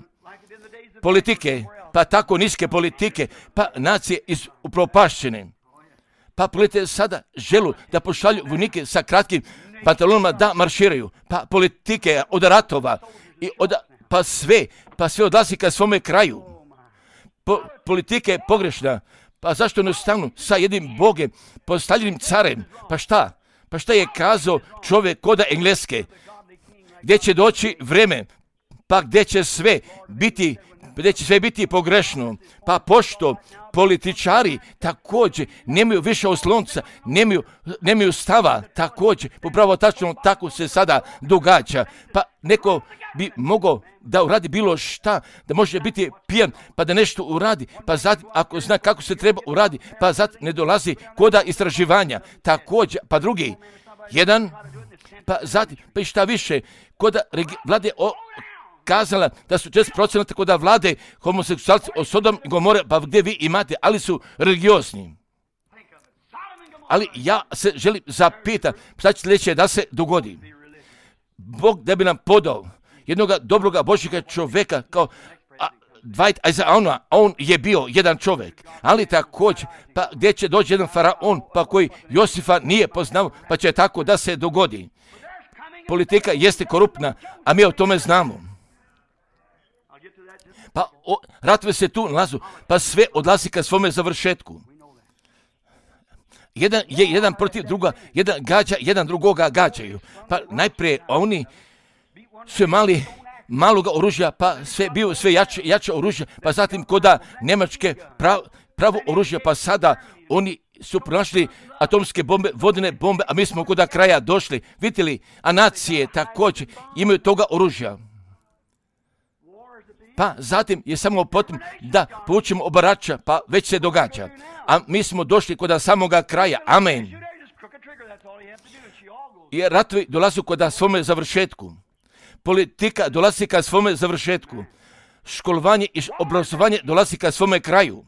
Politike, pa tako niske politike, pa nacije upropašćene. Pa pogledajte sada želu da pošalju vojnike sa kratkim pantalonama da marširaju. Pa politike od ratova, pa sve odlazi ka svome kraju. Politika je pogrešna. Pa zašto ne stanu sa jednim Bogem, postavljenim carem? Pa šta? Pa šta je kazao čovjek koda Engleske? Gdje će doći vreme? Pa gdje će sve biti pogrešno? Pa pošto političari također nemaju više oslonca, nemaju stava također. Upravo tačno tako se sada događa. Pa neko bi mogao da uradi bilo šta, da može biti pijan, pa da nešto uradi, pa zatim ako zna kako se treba uradi, pa zatim ne dolazi koda istraživanja. Također, pa drugi, jedan, pa zatim, pa i šta više, koda vlade kazala da su 40% koda vlade homoseksualci o Sodom i Gomore, pa gdje vi imate, ali su religiozni. Ali ja se želim zapitati, šta će sljedeće da se dogodi? Bog da bi nam podao jednog dobroga Božjega čovjeka kao Dwight Eisenhower, on je bio jedan čovjek, ali također, pa gdje će doći jedan faraon, pa koji Josifa nije poznao, pa će tako da se dogodi. Politika jeste koruptna, a mi o tome znamo. Pa ratove se tu nalazu, pa sve odlazi ka svome završetku. Jedan protiv druga, jedan gađa, jedan drugoga gađaju. Pa najprije oni su imali maloga oružja, pa sve jače oružje, pa zatim koda Njemačke pravo oružje, pa sada oni su pronašli atomske bombe, vodene bombe, a mi smo koda kraja došli. Vidite li, a nacije također imaju toga oružja. Pa zatim je samo potom da povučemo obarača, pa već se događa. A mi smo došli kod samoga kraja. Amen. Jer ratovi dolaze kod svome završetku. Politika dolazi ka svome završetku. Školovanje i obrazovanje dolazi ka svome kraju.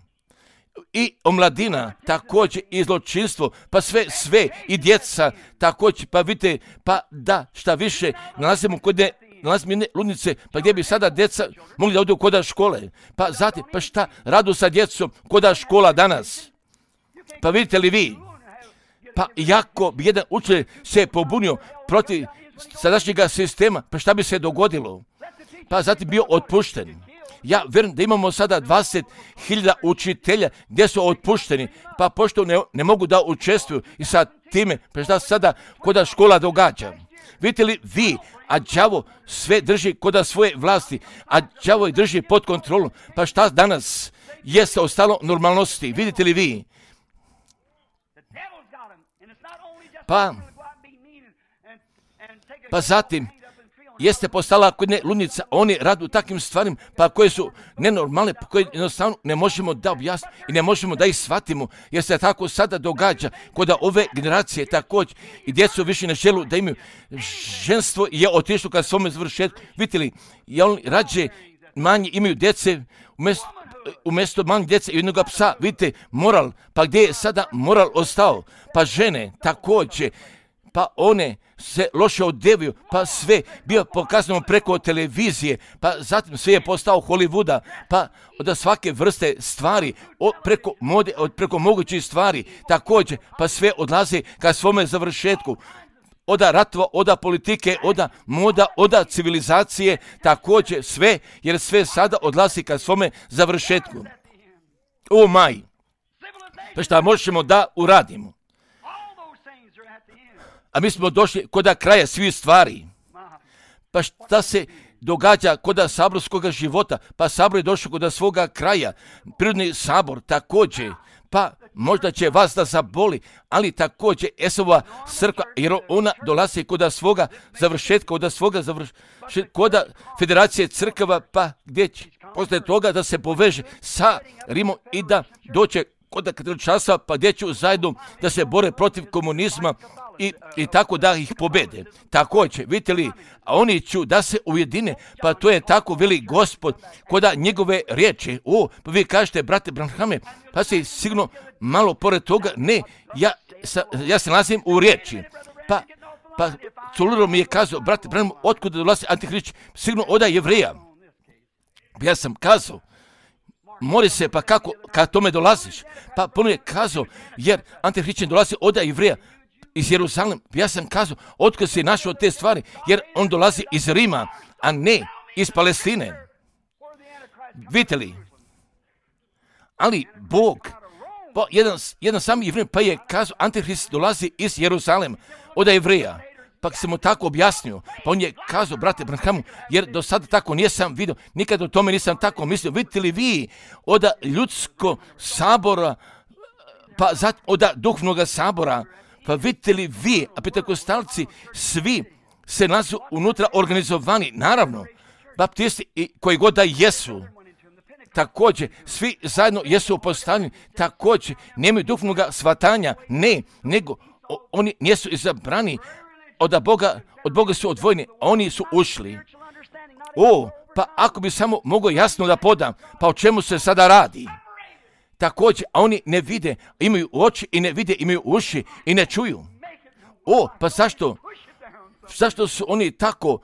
I omladina, također i zločinstvo, pa sve i djeca, također, pa vidite, pa da, šta više, nalazimo jedne ludnice, pa gdje bi sada djeca mogli da odu koda škole. Pa zatim, pa šta radu sa djecom koda škola danas? Pa vidite li vi? Pa jako bi jedan učitelj se pobunio protiv sadašnjega sistema, pa šta bi se dogodilo? Pa zatim bio otpušten. Ja vjerujem da imamo sada 20.000 učitelja gdje su otpušteni, pa pošto ne mogu da učestvuju i sa time, pa šta sada koda škola događa? Vidite li vi, a đavo sve drži koda svoje vlasti, a đavo ih drži pod kontrolom, pa šta danas jeste ostalo normalnosti? Vidite li vi? Pa zatim jeste postala kod ne ludnica, oni radu takvim stvarima, pa koje su nenormalne, pa koje jednostavno ne možemo da objasnimo i ne možemo da ih shvatimo, jer se tako sada događa kod ove generacije također i djecu više ne želu da imaju. Ženstvo je otišlo ka svome završetku. Vidite li, oni rađe manje imaju djece, umjesto manje djece i jednog psa. Vidite, moral, pa gdje je sada moral ostao? Pa žene također, pa one se loše odevaju, pa sve bio pokazano preko televizije, pa zatim sve je postao Hollywooda, pa od svake vrste stvari, preko mode, preko mogućih stvari, također, pa sve odlazi ka svome završetku. Oda ratova, oda politike, oda moda, oda civilizacije, također sve, jer sve sada odlazi ka svome završetku. O maj, pa šta možemo da uradimo? A mi smo došli kod kraja svih stvari. Pa šta se događa kod saborskog života? Pa sabor je došao kod svoga kraja. Prirodni sabor također. Pa možda će vas da zaboli, ali također Esova crkva, jer ona dolazi kod svoga završetka, kod federacije crkava, pa gdje će posle toga da se poveže sa Rimom i da doće kod katoličanstva, pa gdje će zajedno da se bore protiv komunizma i tako da ih pobede. Također, vidite li, a oni ću da se ujedine, pa to je tako veli Gospod koda njegove riječi. Pa vi kažete, brate Branhame, pa si sigurno malo pored toga, ne, ja se nalazim u riječi. Pa Culuro mi je kazao, brate, otkud dolazi Antihrist? Sigurno od Jevreja. Ja sam kazao, mori se, pa kako, kad tome dolaziš? Pa puno je kazao, jer Antihrist dolazi od Jevreja iz Jeruzalema. Ja sam kazao, otkud si našao te stvari? Jer on dolazi iz Rima, a ne iz Palestine. Vidite li? Ali Bog, pa jedan sam Jevrej, pa je kazao, Antihrist dolazi iz Jeruzalema, od Jevreja. Pa sam mu tako objasnio, pa on je kazao, brate Branhamu, jer do sada tako nisam vidio, nikad o tome nisam tako mislio. Vidite li vi od ljudskog sabora, pa od duhovnog sabora, pa vidite li vi, a pentekostalci, svi se nalazu unutra organizovani, naravno, baptisti i koji god da jesu, također, svi zajedno jesu postavljeni, također, nemaju duhovnog shvatanja, ne, nego oni nisu izabrani, od Boga su odvojeni, a oni su ušli. Pa ako bi samo mogao jasno da podam, pa o čemu se sada radi? Također, a oni ne vide, imaju oči i ne vide, imaju uši i ne čuju. Pa zašto? Zašto su oni tako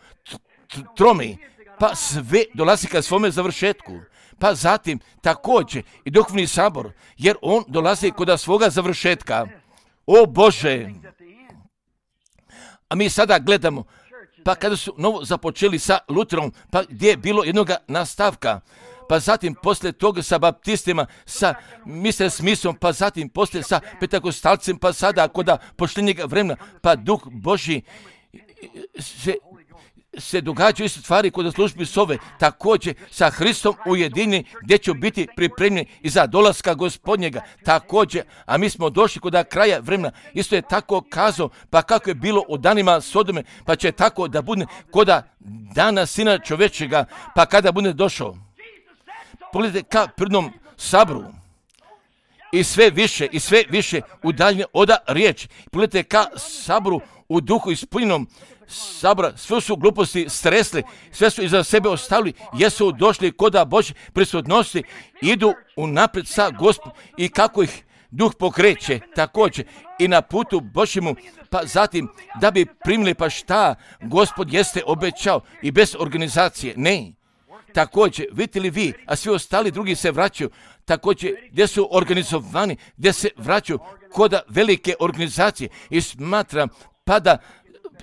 tromi? Pa sve dolazi ka svome završetku. Pa zatim također i duhovni sabor, jer on dolazi kod svoga završetka. O Bože! A mi sada gledamo, pa kada su novo započeli sa Luterom, pa gdje je bilo jednog nastavka, pa zatim poslije toga sa baptistima, sa Mr. Smithom, pa zatim poslije sa pentekostalcem, pa sada kod poštenjeg vremena, pa Duh Božji se događaju isto stvari kod službi sove, također sa Hristom ujedinjeni, gdje će biti pripremljeni i za dolaska Gospodnjega, također, a mi smo došli kod kraja vremena, isto je tako kazao, pa kako je bilo u danima Sodome, pa će tako da bude kod dana Sina čovječega, pa kada bude došao. Pogledajte ka prirodnom sabru, i sve više udaljenje od riječi. Pogledajte ka sabru u duhu ispunjenom sabora, sve su gluposti stresli, sve su iza sebe ostavili, jesu došli kod Božje prisutnosti, idu unaprijed sa Gospodom i kako ih Duh pokreće, također i na putu Božjemu, pa zatim da bi primili pa šta Gospod jeste obećao i bez organizacije, ne. Također, vidite li vi, a svi ostali drugi se vraćaju, također gdje su organizovani, gdje se vraćaju kod velike organizacije i smatram pa da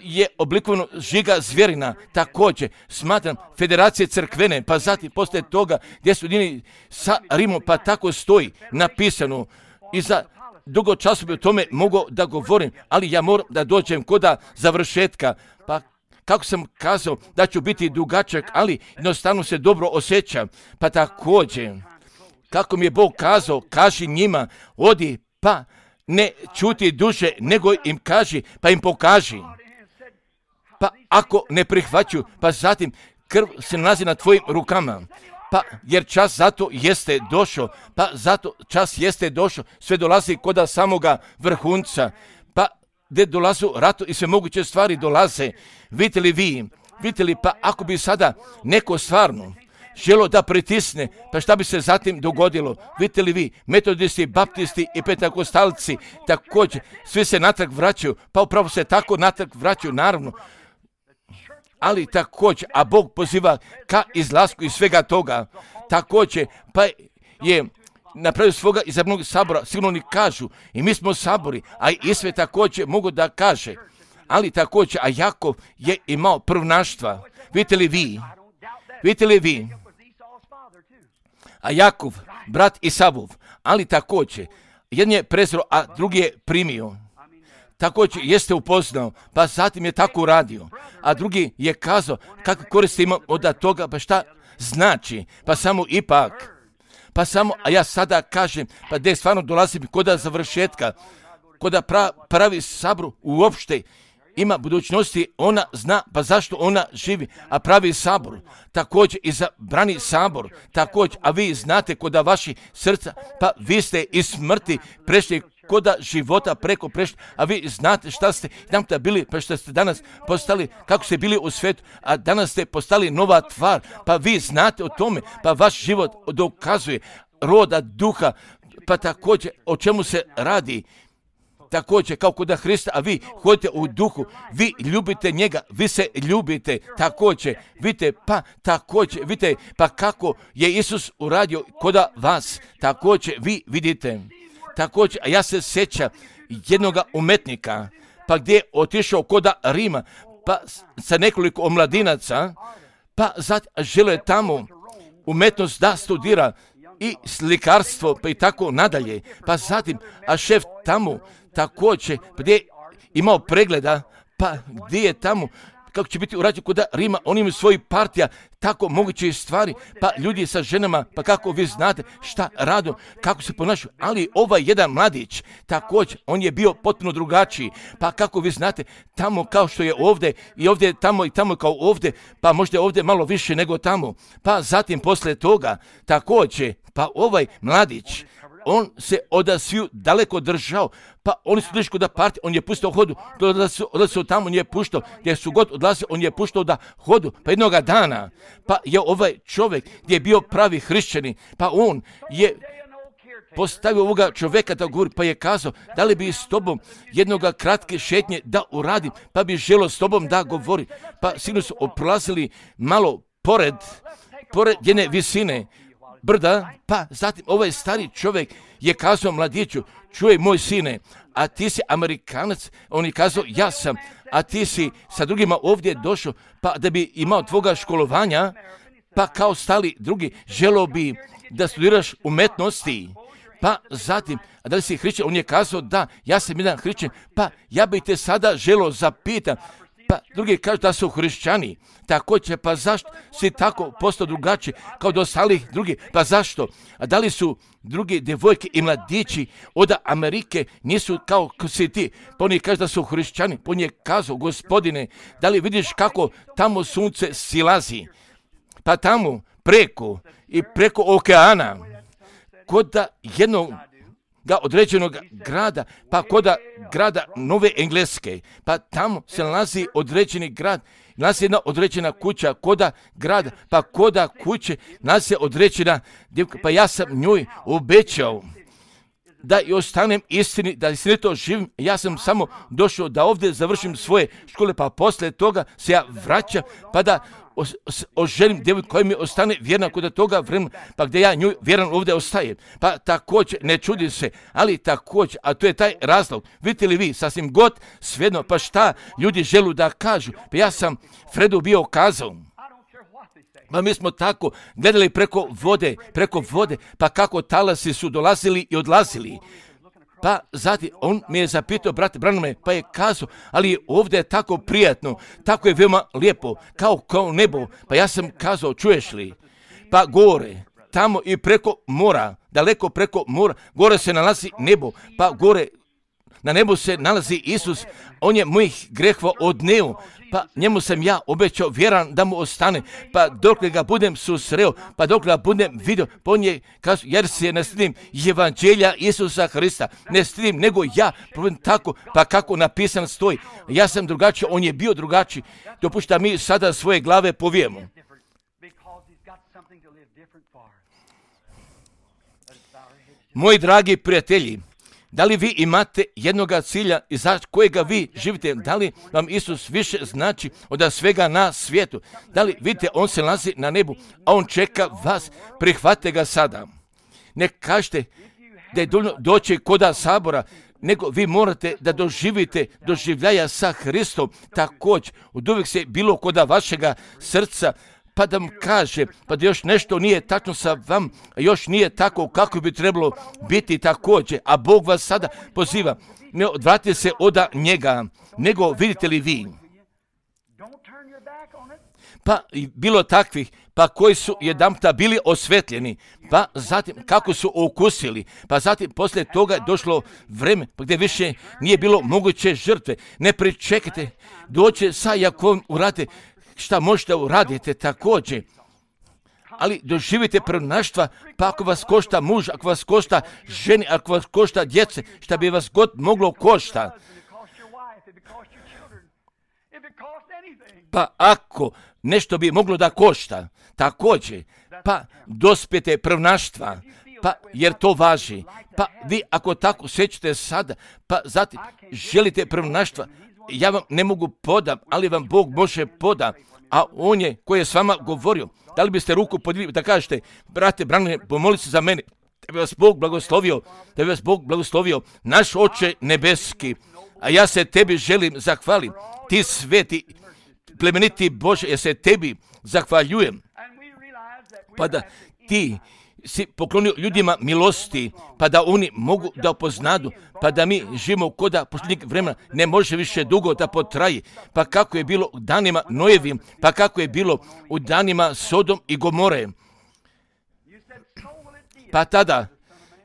je oblikovano žiga zvjerina, također smatram federacije crkvene, pa zatim poslije toga gdje su jedini sa Rimom, pa tako stoji napisano i za dugo času bi o tome mogao da govorim, ali ja moram da dođem kod završetka, pa kako sam kazao da ću biti dugačak, ali jednostavno se dobro osjećam, pa također kako mi je Bog kazao, kaži njima, odi pa ne čuti duže, nego im kaži, pa im pokaži. Pa ako ne prihvaću, pa zatim krv se nalazi na tvojim rukama. Pa jer čas zato jeste došao, pa zato čas jeste došao, sve dolazi kod samoga vrhunca, pa gdje dolazu rato i sve moguće stvari dolaze. Vidite li, pa ako bi sada neko stvarno želo da pritisne, pa šta bi se zatim dogodilo? Vidite li vi, metodisti, baptisti i pentekostalci, također, svi se natrag vraćaju, pa upravo se tako natrag vraćaju, naravno. Ali također, a Bog poziva ka izlasku iz svega toga, također, pa je napravio svoga izabranog sabora, sigurno oni kažu, i mi smo sabori, a i sve također mogu da kaže, ali također, a Jakov je imao prvnaštva. Vidite li vi, a Jakov, brat Isavov, ali također, jedan je prezro, a drugi je primio. Također jeste upoznao, pa zatim je tako uradio. A drugi je kazao kakve koristi ima od toga, pa šta znači, pa samo ipak. Pa samo, a ja sada kažem, pa gdje stvarno dolazim kod završetka, kod pravi sabru uopšte ima budućnosti, ona zna, pa zašto ona živi, a pravi sabor, također i zabrani sabor, također, a vi znate kod vaših srca, pa vi ste iz smrti prešli kod života preko prešli, a vi znate šta ste jedanputa bili, pa što ste danas postali, kako ste bili u svijetu, a danas ste postali nova tvar, pa vi znate o tome, pa vaš život dokazuje roda duha, pa također o čemu se radi. također kao kod Hrista, a vi hodite u duhu, vi ljubite njega, vi se ljubite također, vidite, pa također, vidite, pa kako je Isus uradio kod vas, također vi vidite, također, a ja se sjećam jednoga umetnika, pa gdje je otišao kod Rima, pa sa nekoliko omladinaca, pa zatim žele tamo umetnost da studira i slikarstvo, pa i tako nadalje. Pa zatim, a šef tamo također, gdje je imao pregleda, pa gdje je tamo, kako će biti urađeno kod Rima, oni imaju svoji partija, tako moguće stvari, pa ljudi sa ženama, pa kako vi znate šta rado, kako se ponašaju, ali ovaj jedan mladić, također, on je bio potpuno drugačiji, pa kako vi znate, tamo kao što je ovdje, i ovdje tamo i tamo kao ovdje, pa možda ovdje malo više nego tamo, pa zatim poslije toga, također, pa ovaj mladić, on se od sviju daleko držao, pa oni su došli kod partije, on je pustao hodu, odlazio tamo, on je puštao, gdje su god odlazili, on je puštao da hodu, pa jednoga dana, pa je ovaj čovjek gdje je bio pravi hrišćanin, pa on je postavio ovoga čovjeka da govori, pa je kazao, da li bi s tobom jednoga kratke šetnje da uradim, pa bi želio s tobom da govori, pa sigurno su oprolazili malo pored jedne visine brda, pa zatim ovaj stari čovjek je kazao mladiću, čuj moj sine, a ti si Amerikanac, on je kazao ja sam, a ti si sa drugima ovdje došao, pa da bi imao tvoga školovanja, pa kao stali drugi, želio bi da studiraš umetnosti, pa zatim, a da li si hrišćan, on je kazao da, ja sam jedan hrišćan, pa ja bih te sada želio zapitam, pa drugi kažu da su hrišćani, također, pa zašto si tako postao drugačiji kao do ostalih drugi, pa zašto? A da li su drugi djevojke i mladići od Amerike nisu kao si ti? Pa oni kažu da su hrišćani, pa on je kazao, gospodine, da li vidiš kako tamo sunce silazi? Pa tamo preko okeana, kod jednog određenog grada, pa kod grada Nove Engleske, pa tamo se nalazi određeni grad, nalazi jedna određena kuća, koda grada, pa koda kuće nalazi određena djevka, pa ja sam njoj obećao da i ostanem istini, da istinito živim, ja sam samo došao da ovdje završim svoje škole, pa poslije toga se ja vraćam, pa da oženim djevojku koja mi ostane vjerna kod toga vremena, pa gdje ja nju vjeran ovdje ostajem. Pa također, ne čudi se, ali također, a to je taj razlog, vidite li vi, sasvim god, svejedno, pa šta ljudi želu da kažu, pa ja sam Fredu bio kazao, pa mi smo tako gledali preko vode, pa kako talasi su dolazili i odlazili. Pa zatim on mi je zapitao, brate Branhame, pa je kazao, ali ovdje je tako prijatno, tako je veoma lijepo, kao nebo. Pa ja sam kazao, čuješ li? Pa gore, tamo i preko mora, daleko preko mora, gore se nalazi nebo, pa gore na nebu se nalazi Isus, on je mojih grehova odneo, pa njemu sam ja obećao vjeran da mu ostane, pa dok ga budem susreo, pa dok ga budem vidio, pa on je kazao, jer se ne stidim evanđelja Isusa Hrista, ne stidim nego ja, tako, pa kako napisan stoji, ja sam drugačiji, on je bio drugačiji, dopušta mi sada svoje glave povijemo. Moji dragi prijatelji, da li vi imate jednoga cilja i za kojega vi živite? Da li vam Isus više znači od svega na svijetu? Da li vidite, on se nalazi na nebu, a on čeka vas, prihvatite ga sada. Ne kažete da je dovoljno doći koda sabora, nego vi morate da doživite doživljaja sa Hristom također. Od uvijek se bilo koda vašega srca, pa da mu kaže, pa da još nešto nije tačno sa vam, još nije tako kako bi trebalo biti također, a Bog vas sada poziva, ne odvratite se od njega, nego vidite li vi? Pa bilo takvih, pa koji su jedanputa bili osvetljeni, pa zatim kako su okusili, pa zatim poslije toga je došlo vreme, pa gdje više nije bilo moguće žrtve, ne pričekajte, doće sa Jakovom urate, šta možete uraditi također, ali doživite prvenstva, pa ako vas košta muž, ako vas košta ženi, ako vas košta djece, šta bi vas god moglo košta. Pa ako nešto bi moglo da košta, također, pa dospijete prvenstva, pa jer to važi. Pa vi ako tako sjećate sada, pa zatim želite prvonaštva, ja vam ne mogu podam, ali vam Bog može poda, a On je koji je s vama govorio. Da li biste ruku podigli da kažete, brate Branimire, pomoli se za mene, da bi vas Bog blagoslovio, da bi vas Bog blagoslovio, naš Oče nebeski, a ja se tebi želim zahvalim, ti sveti, plemeniti Bože, ja se tebi zahvaljujem, pa da ti si poklonio ljudima milosti, pa da oni mogu da upoznadu, pa da mi živimo koda posljednjeg vremena ne može više dugo da potraji, pa kako je bilo u danima Nojevim, pa kako je bilo u danima Sodom i Gomore. Pa tada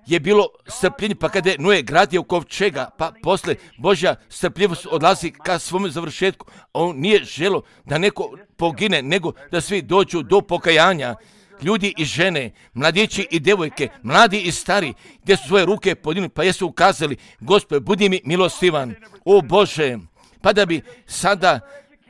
je bilo strpljenje, pa kada je Noe gradio kovčega, pa posle Božja strpljivost odlazi ka svom završetku. On nije želo da neko pogine, nego da svi dođu do pokajanja. Ljudi i žene, mladići i devojke, mladi i stari, gdje su svoje ruke podigli, pa jesu ukazali, Gospod, budi mi milostivan, o Bože, pa da bi sada,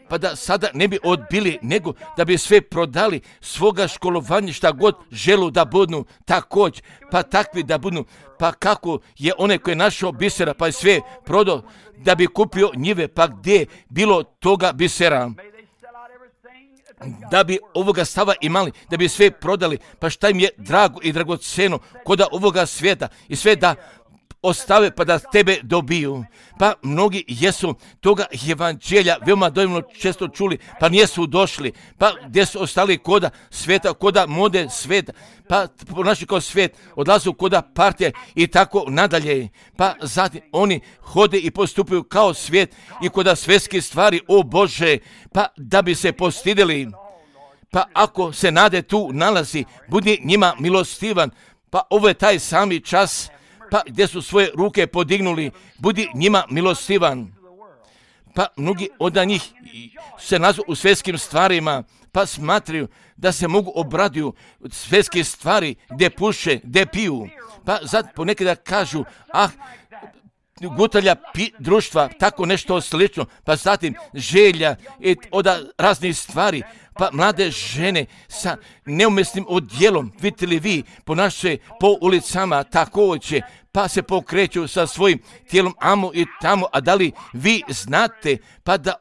pa da sada ne bi odbili, nego da bi sve prodali svoga školovanja, šta god želu da budu također, pa takvi da budu, pa kako je onaj koji je našao bisera, pa je sve prodao da bi kupio njive, pa gdje je bilo toga bisera, da bi ovoga stava imali, da bi sve prodali, pa šta im je drago i dragoceno koda ovoga svijeta i sve da ostave pa da tebe dobiju. Pa mnogi jesu toga evanđelja veoma dovoljno često čuli, pa nijesu došli, pa gdje su ostali koda svijeta, koda mode svijeta, pa ponašaju kao svijet, odlazu koda partije i tako nadalje. Pa zatim oni hode i postupaju kao svijet i koda svjetske stvari, o Bože, pa da bi se postidili. Pa ako se nade tu nalazi, budi njima milostivan, pa ovo je taj sami čas, pa gdje su svoje ruke podignuli, budi njima milostivan. Pa mnogi od njih se nazu u svjetskim stvarima, pa smatraju da se mogu obraduju svjetske stvari gdje puše, gdje piju. Pa zato ponekada kažu, gutalja društva, tako nešto slično, pa zatim želja i od raznih stvari, pa mlade žene sa neumjesnim odjelom, vidite li vi, ponašaju po ulicama također, pa se pokreću sa svojim tijelom amo i tamo, a da li vi znate, pa da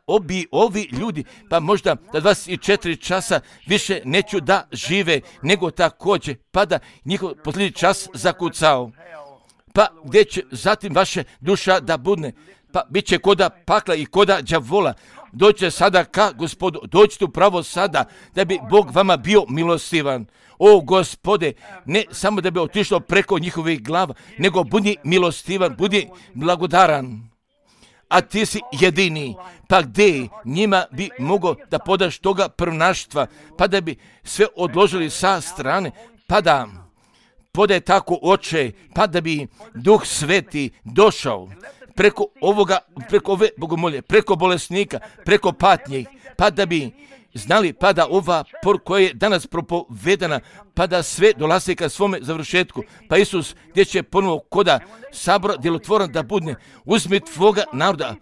ovi ljudi, pa možda da 24 časa više neću da žive, nego također, pa da njihov posljednji čas zakucao. Pa gdje će zatim vaše duša da budne, pa bit će koda pakla i koda đavola. Dođite sada ka Gospodu, dođite upravo sada, da bi Bog vama bio milostivan. O Gospode, ne samo da bi otišlo preko njihovih glava, nego budi milostivan, budi blagodaran. A ti si jedini, pa gdje njima bi mogao da podaš toga prvonaštva, pa da bi sve odložili sa strane, pa da podaj tako, Oče, pa da bi Duh Sveti došao preko ove bogomolje, preko bolesnika, preko patnjih, pa da bi znali, pa da ova poruka koja je danas propovedana, pa da sve dolazi ka svome završetku. Pa Isus gdje će ponovo koda sabora djelotvoran da budne, uzmi tvoga naroda,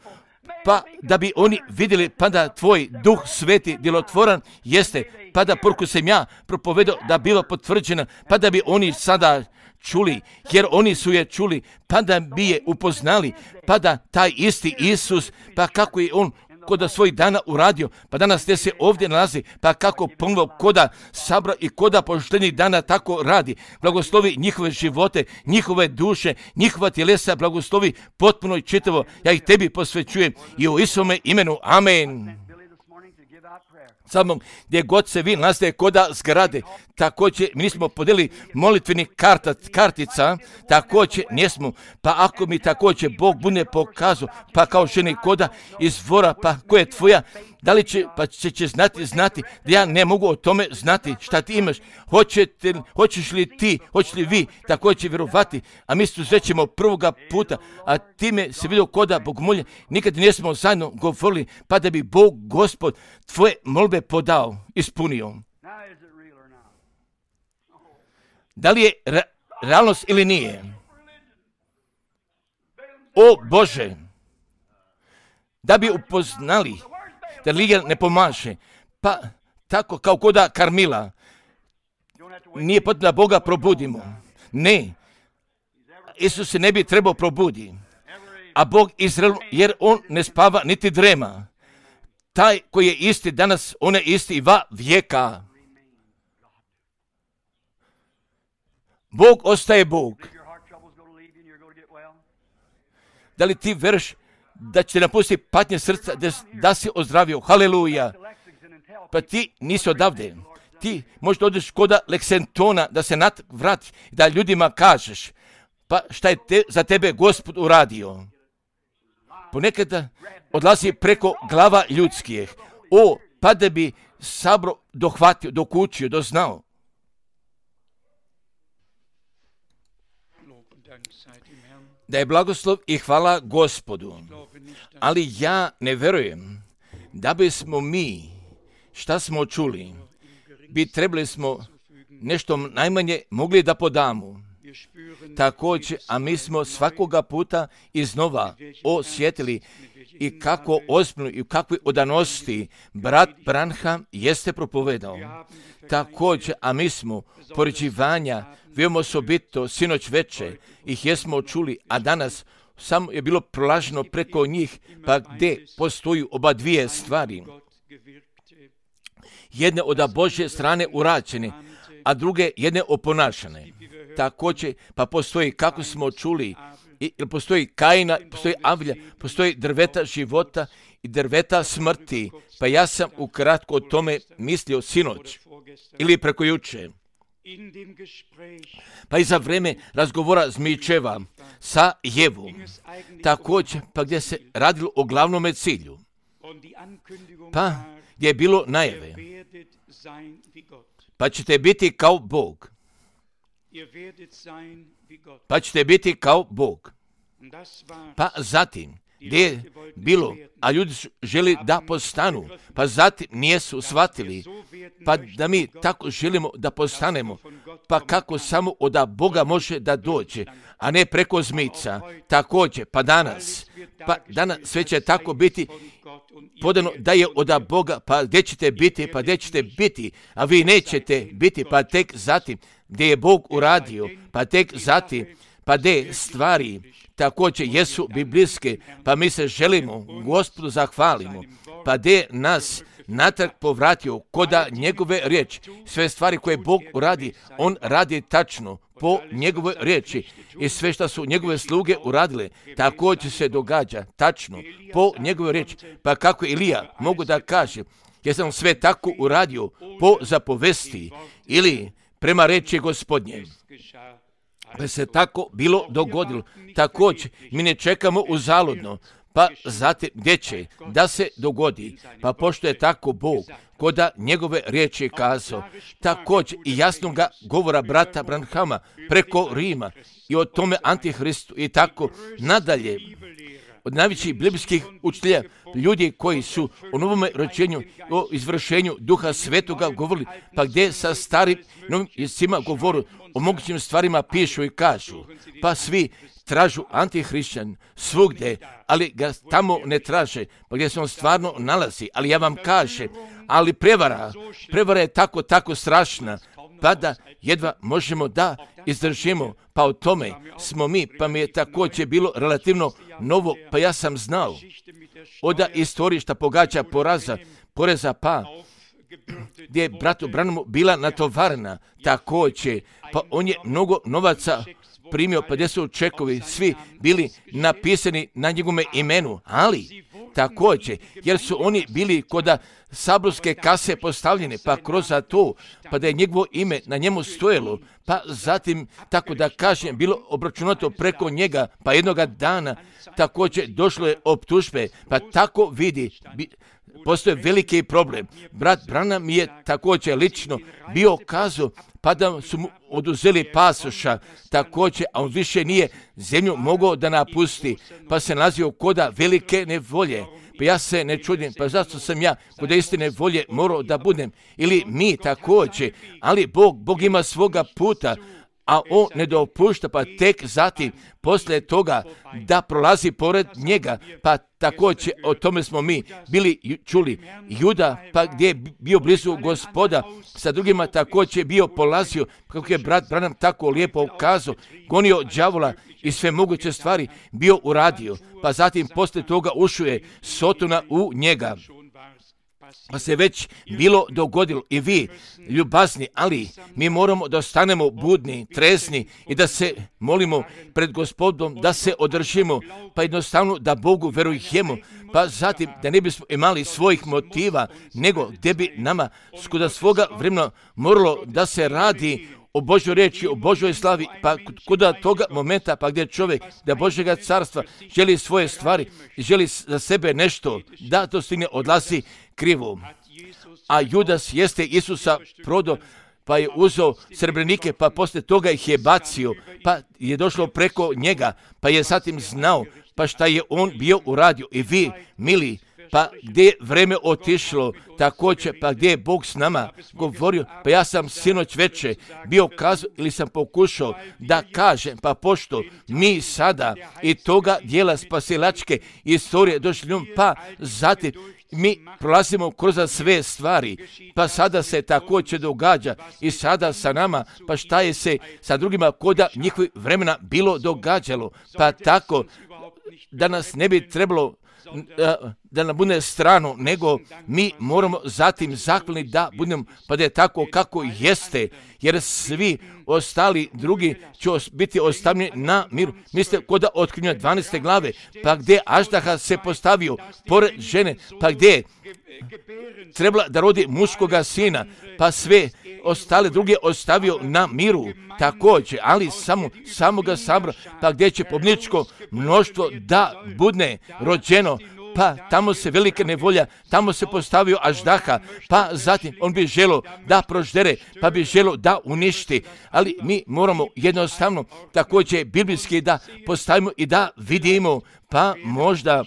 pa da bi oni vidjeli, pa da tvoj Duh Sveti djelotvoran jeste, pa da poruku sam ja propovedao da biva potvrđena, pa da bi oni sada čuli, jer oni su je čuli, pa da bi je upoznali, pa da taj isti Isus, pa kako je on koda svojih dana uradio, pa danas te se ovdje nalazi, pa kako ponovo koda sabra i koda poštenih dana tako radi. Blagoslovi njihove živote, njihove duše, njihova tjelesa, blagoslovi potpuno i čitavo. Ja ih tebi posvećujem i u Isome imenu. Amen. Samo gdje god se vi nalazite koda zgrade, također mi nismo podelili molitvenih kartica, također nismo, pa ako mi također Bog bude pokazao, pa kao ženi koda izvora, pa koja je tvoja, da li će, pa će znati da ja ne mogu o tome znati šta ti imaš, hoćeš li ti, hoćeš li vi također vjerovati, a mi susrećemo prvoga puta, a time se vidio koda bogomolje, nikad nismo zajedno govorili, pa da bi Bog Gospod tvoje molbe podao, ispunio. Da li je realnost ili nije? O Bože, da bi upoznali da religija ne pomaže, pa tako kao koda Karmila, nije potrebno da Boga probudimo, Ne, Isus se ne bi trebao probudi, a Bog Izrael, jer on ne spava niti drema. Taj koji je isti danas, on je isti i va vijeka. Bog ostaje Bog. Da li ti veruješ da će napustiti patnje srca da si ozdravio? Haleluja. Pa ti nisi odavde. Ti možda odeš kod Lexingtona da se vrati, da ljudima kažeš pa šta je za tebe Gospod uradio. Ponekada odlazi preko glava ljudskih. Pa da bi sabro dohvatio, dokučio, doznao. Da je blagoslov i hvala Gospodu. Ali ja ne verujem da bismo mi, šta smo čuli, bi trebali smo nešto najmanje mogli da podamo. Također, a mi smo svakoga puta iznova osjetili i kako ozbiljno i u kakvoj odanosti brat Branham jeste propovedao. Također, a mi smo poređivanja veoma osobito sinoć veče ih jesmo čuli, a danas samo je bilo prolaženo preko njih, pa gdje postoju oba dvije stvari. Jedne od Božje strane urađene, a druge jedne oponašane. Također, pa postoji, kako smo čuli, postoji Kaina, postoji Avlja, postoji drveta života i drveta smrti. Pa ja sam ukratko o tome mislio sinoć ili preko juče. Pa i za vreme razgovora Zmičeva sa Jevom, također, pa gdje se radilo o glavnome cilju, pa gdje je bilo najave, pa ćete biti kao Bog. Pa ćete biti kao Bog. Pa zatim, gdje je bilo, a ljudi su želi da postanu, pa zatim nijesu shvatili, pa da mi tako želimo da postanemo, pa kako samo od Boga može da dođe, a ne preko zmica. Također, pa danas sve će tako biti podano da je od Boga, pa gdje ćete biti, pa gdje ćete biti, a vi nećete biti, pa tek zatim, gdje je Bog uradio, pa tek zatim, pa gdje stvari također jesu biblijske, pa mi se želimo Gospodu zahvalimo, pa gdje nas natrag povratio koda njegove riječi. Sve stvari koje Bog uradi, on radi tačno po njegove riječi i sve što su njegove sluge uradile, također se događa tačno po njegove riječi. Pa kako Ilija mogu da kaže, jer sam sve tako uradio po zapovesti ili prema reči Gospodnje. Pa se tako bilo dogodilo. Također, mi ne čekamo uzaludno, pa zatim gdje će da se dogodi. Pa pošto je tako Bog, koda njegove riječi kazao, također i jasnoga govora brata Branhama preko Rima i o tome Antihristu i tako nadalje. Od najvećih biblijskih učitelja, ljudi koji su o novome rođenju, o izvršenju Duha Svetoga govorili, pa gdje sa starim novim jezicima govoru o mogućim stvarima pišu i kažu, pa svi tražu antihrišćan svugdje, ali ga tamo ne traže, pa gdje se on stvarno nalazi. Ali ja vam kažem, ali prevara je tako strašna, pa da jedva možemo da izdržimo, pa o tome smo mi, pa mi je također bilo relativno novo, pa ja sam znao od istorije šta pogađa poreza, pa gdje je bratu Branhamu bila natovarena također, pa on je mnogo novaca primio, pa gdje su čekovi svi bili napisani na njegove imenu, ali također, jer su oni bili kod saborske kase postavljene, pa kroz to, pa da je njegovo ime na njemu stojelo, pa zatim, tako da kažem, bilo obračunato preko njega, pa jednoga dana također došlo je optužbe, pa tako vidi, postoje veliki problem. Brat Branham je također lično bio kazao, pa da su mu oduzeli pasoša također, a on više nije zemlju mogao da napusti, pa se nalazio koda velike nevolje. Pa ja se ne čudim, pa zašto sam ja kod istine volje morao da budem, ili mi također, ali Bog ima svoga puta, a on ne dopušta, pa tek zatim, poslije toga, da prolazi pored njega, pa također o tome smo mi bili čuli. Juda, pa gdje je bio blizu Gospoda, sa drugima također je bio polazio, kako je brat Branham tako lijepo ukazao, gonio đavola i sve moguće stvari bio uradio, pa zatim poslije toga ušao je Sotona u njega. Pa se već bilo dogodilo i vi, ljubazni, ali mi moramo da ostanemo budni, trezni i da se molimo pred Gospodom, da se održimo, pa jednostavno da Bogu verujemo, pa zatim da ne bismo imali svojih motiva, nego gdje bi nama skuda svoga vremena moralo da se radi o Božoj riječi, o Božoj slavi, pa kuda toga momenta, pa gdje čovjek da Božjega carstva želi svoje stvari i želi za sebe nešto, da to stigne odlazi krivo. A Judas jeste Isusa prodao, pa je uzeo srebrenike, pa poslije toga ih je bacio, pa je došlo preko njega, pa je zatim znao, pa šta je on bio uradio. I vi, mili, pa gdje je vreme otišlo, također, pa gdje je Bog s nama govorio, pa ja sam sinoć veče bio kazao ili sam pokušao da kažem, pa pošto mi sada i toga dijela spasilačke istorije došli, pa zatim mi prolazimo kroz sve stvari, pa sada se također događa i sada sa nama, pa šta je se sa drugima koda njihovih vremena bilo događalo, pa tako da nas ne bi trebalo da nam bude strano, nego mi moramo zatim zahvalni da budemo, pa da je tako kako jeste, jer svi ostali drugi će biti ostavljeni na miru. Mislite kod otkrivenja 12. glave, pa gdje Aždaha se postavio pored žene, pa gdje trebala da rodi muškoga sina, pa sve ostale druge ostavio na miru također, ali samo ga sabra, pa gdje će pobjedničko mnoštvo da bude rođeno, pa tamo se velika nevolja, tamo se postavio Aždaha, pa zatim on bi želio da proždere, pa bi želio da uništi, ali mi moramo jednostavno također biblijski da postavimo i da vidimo, pa možda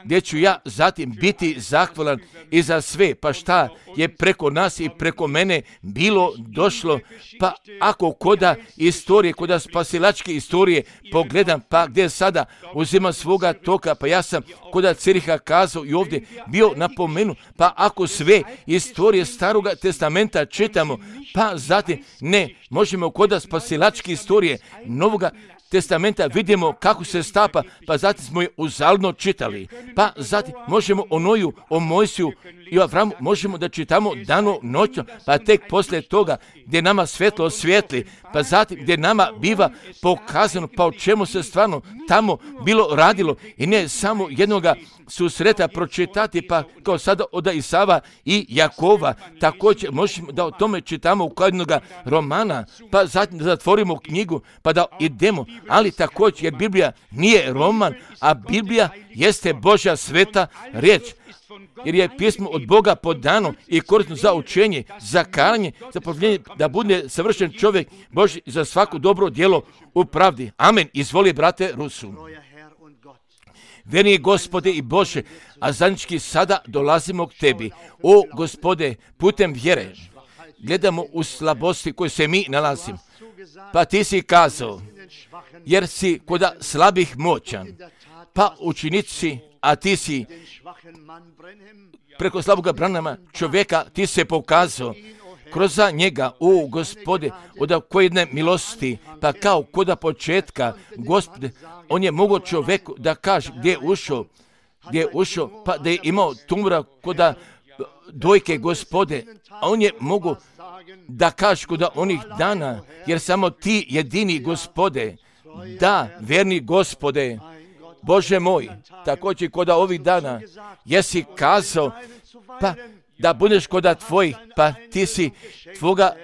gdje ću ja zatim biti zahvalan i za sve, pa šta je preko nas i preko mene bilo došlo, pa ako koda istorije, koda spasilačke istorije pogledam, pa gdje sada uzimam svoga toka, pa ja sam koda Ciriha kazao i ovdje bio napomenu, pa ako sve istorije Staroga testamenta čitamo, pa zatim ne možemo koda spasilačke istorije Novoga testamenta vidimo kako se stapa, pa zatim smo je uzaludno čitali. Pa zatim možemo o Noju, o Mojsiju i o Avramu možemo da čitamo dano noćno, pa tek poslije toga gdje nama svetlo osvijetli, pa zatim gdje nama biva pokazano pa o čemu se stvarno tamo bilo radilo i ne samo jednoga susreta pročitati, pa kao sada od Isava i Jakova, također možemo da o tome čitamo u jednoga romana, pa zatim da zatvorimo knjigu, pa da idemo, ali također jer Biblija nije roman, a Biblija jeste Božja sveta riječ, jer je pismo od Boga podano i korisno za učenje, za karanje, za povjerenje, da bude savršen čovjek Božji za svako dobro djelo u pravdi. Amen. Izvoli, brate Rusu. Verni Gospode i Bože, a zajednički sada dolazimo k Tebi. O Gospode, putem vjere gledamo u slabosti koje se mi nalazimo. Pa Ti si kazao, jer si koda slabih moćan, pa učinici, a Ti si preko slaboga Branhama čovjeka, Ti se pokazao kroz njega, o Gospode, od kojedne milosti, pa kao koda početka, Gospode, on je mogao čovjeku da kaže gdje je ušao, pa da je imao tumora koda dojke, Gospode, a on je mogao da kaže koda onih dana, jer samo Ti jedini, Gospode, da, verni Gospode, Bože moj, također koda ovih dana, jesi kazao, pa da budeš koda tvojih, pa Ti si tvoga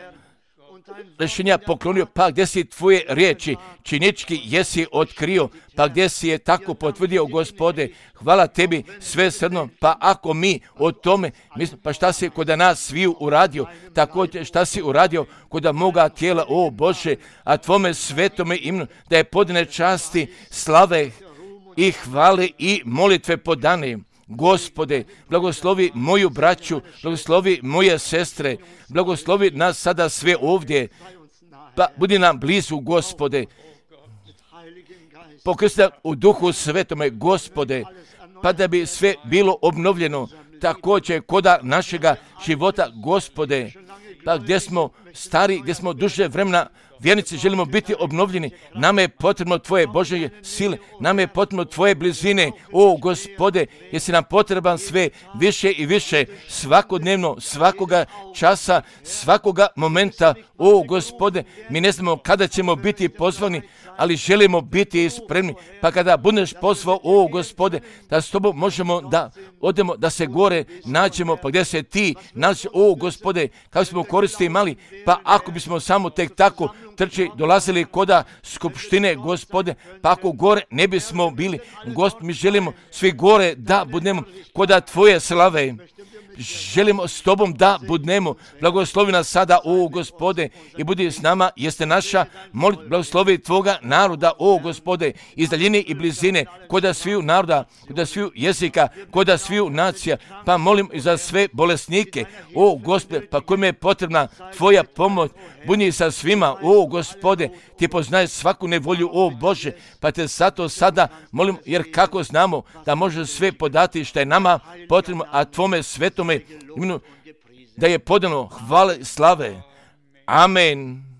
rješenja poklonio, pa gdje si tvoje riječi činički jesi otkrio, pa gdje si je tako potvrdio, Gospode, hvala Tebi sve srno, pa ako mi o tome, pa šta si koda nas sviju uradio, također šta si uradio koda moga tijela, o Bože, a Tvome svetome imenu, da je podane časti, slave i hvale i molitve podane. Gospode, blagoslovi moju braću, blagoslovi moje sestre, blagoslovi nas sada sve ovdje Pa budi nam blizu, Gospode. Pokrsti u Duhu Svetome, Gospode, pa da bi sve bilo obnovljeno također koda našega života, Gospode. Pa gdje smo stari, gdje smo duže vremena vjernici, želimo biti obnovljeni. Nama je potrebno Tvoje Božje sile, nama je potrebno Tvoje blizine, o Gospode, jer si nam potreban sve više i više, svakodnevno, svakoga časa, svakoga momenta, o Gospode. Mi ne znamo kada ćemo biti pozvani, ali želimo biti spremni, pa kada budeš pozvao, o Gospode, da s Tobom možemo da odemo, da se gore nađemo, pa gdje se Ti nađeš, o Gospode, kako smo koristi imali, pa ako bismo samo tek tako dolazili koda skupštine, Gospode, pa ako gore ne bismo bili, Gospod, mi želimo svi gore da budemo koda Tvoje slave. Želimo s Tobom da budemo. Blagoslovi nas sada, o Gospode, i budi s nama, jeste naša molitva. Blagoslovi Tvoga naroda, o Gospode, iz daljine i blizine, koda sviju naroda, koda sviju jezika, koda sviju nacija. Pa molim i za sve bolesnike, o Gospode, pa kojima je potrebna Tvoja pomoć. Budi sa svima, o Gospode, Ti poznaješ svaku nevolju, o Bože, pa Te zato sada molim, jer kako znamo da može sve podati što je nama potrebno, a Tvome svetome imenu da je podano hvale slave. Amen.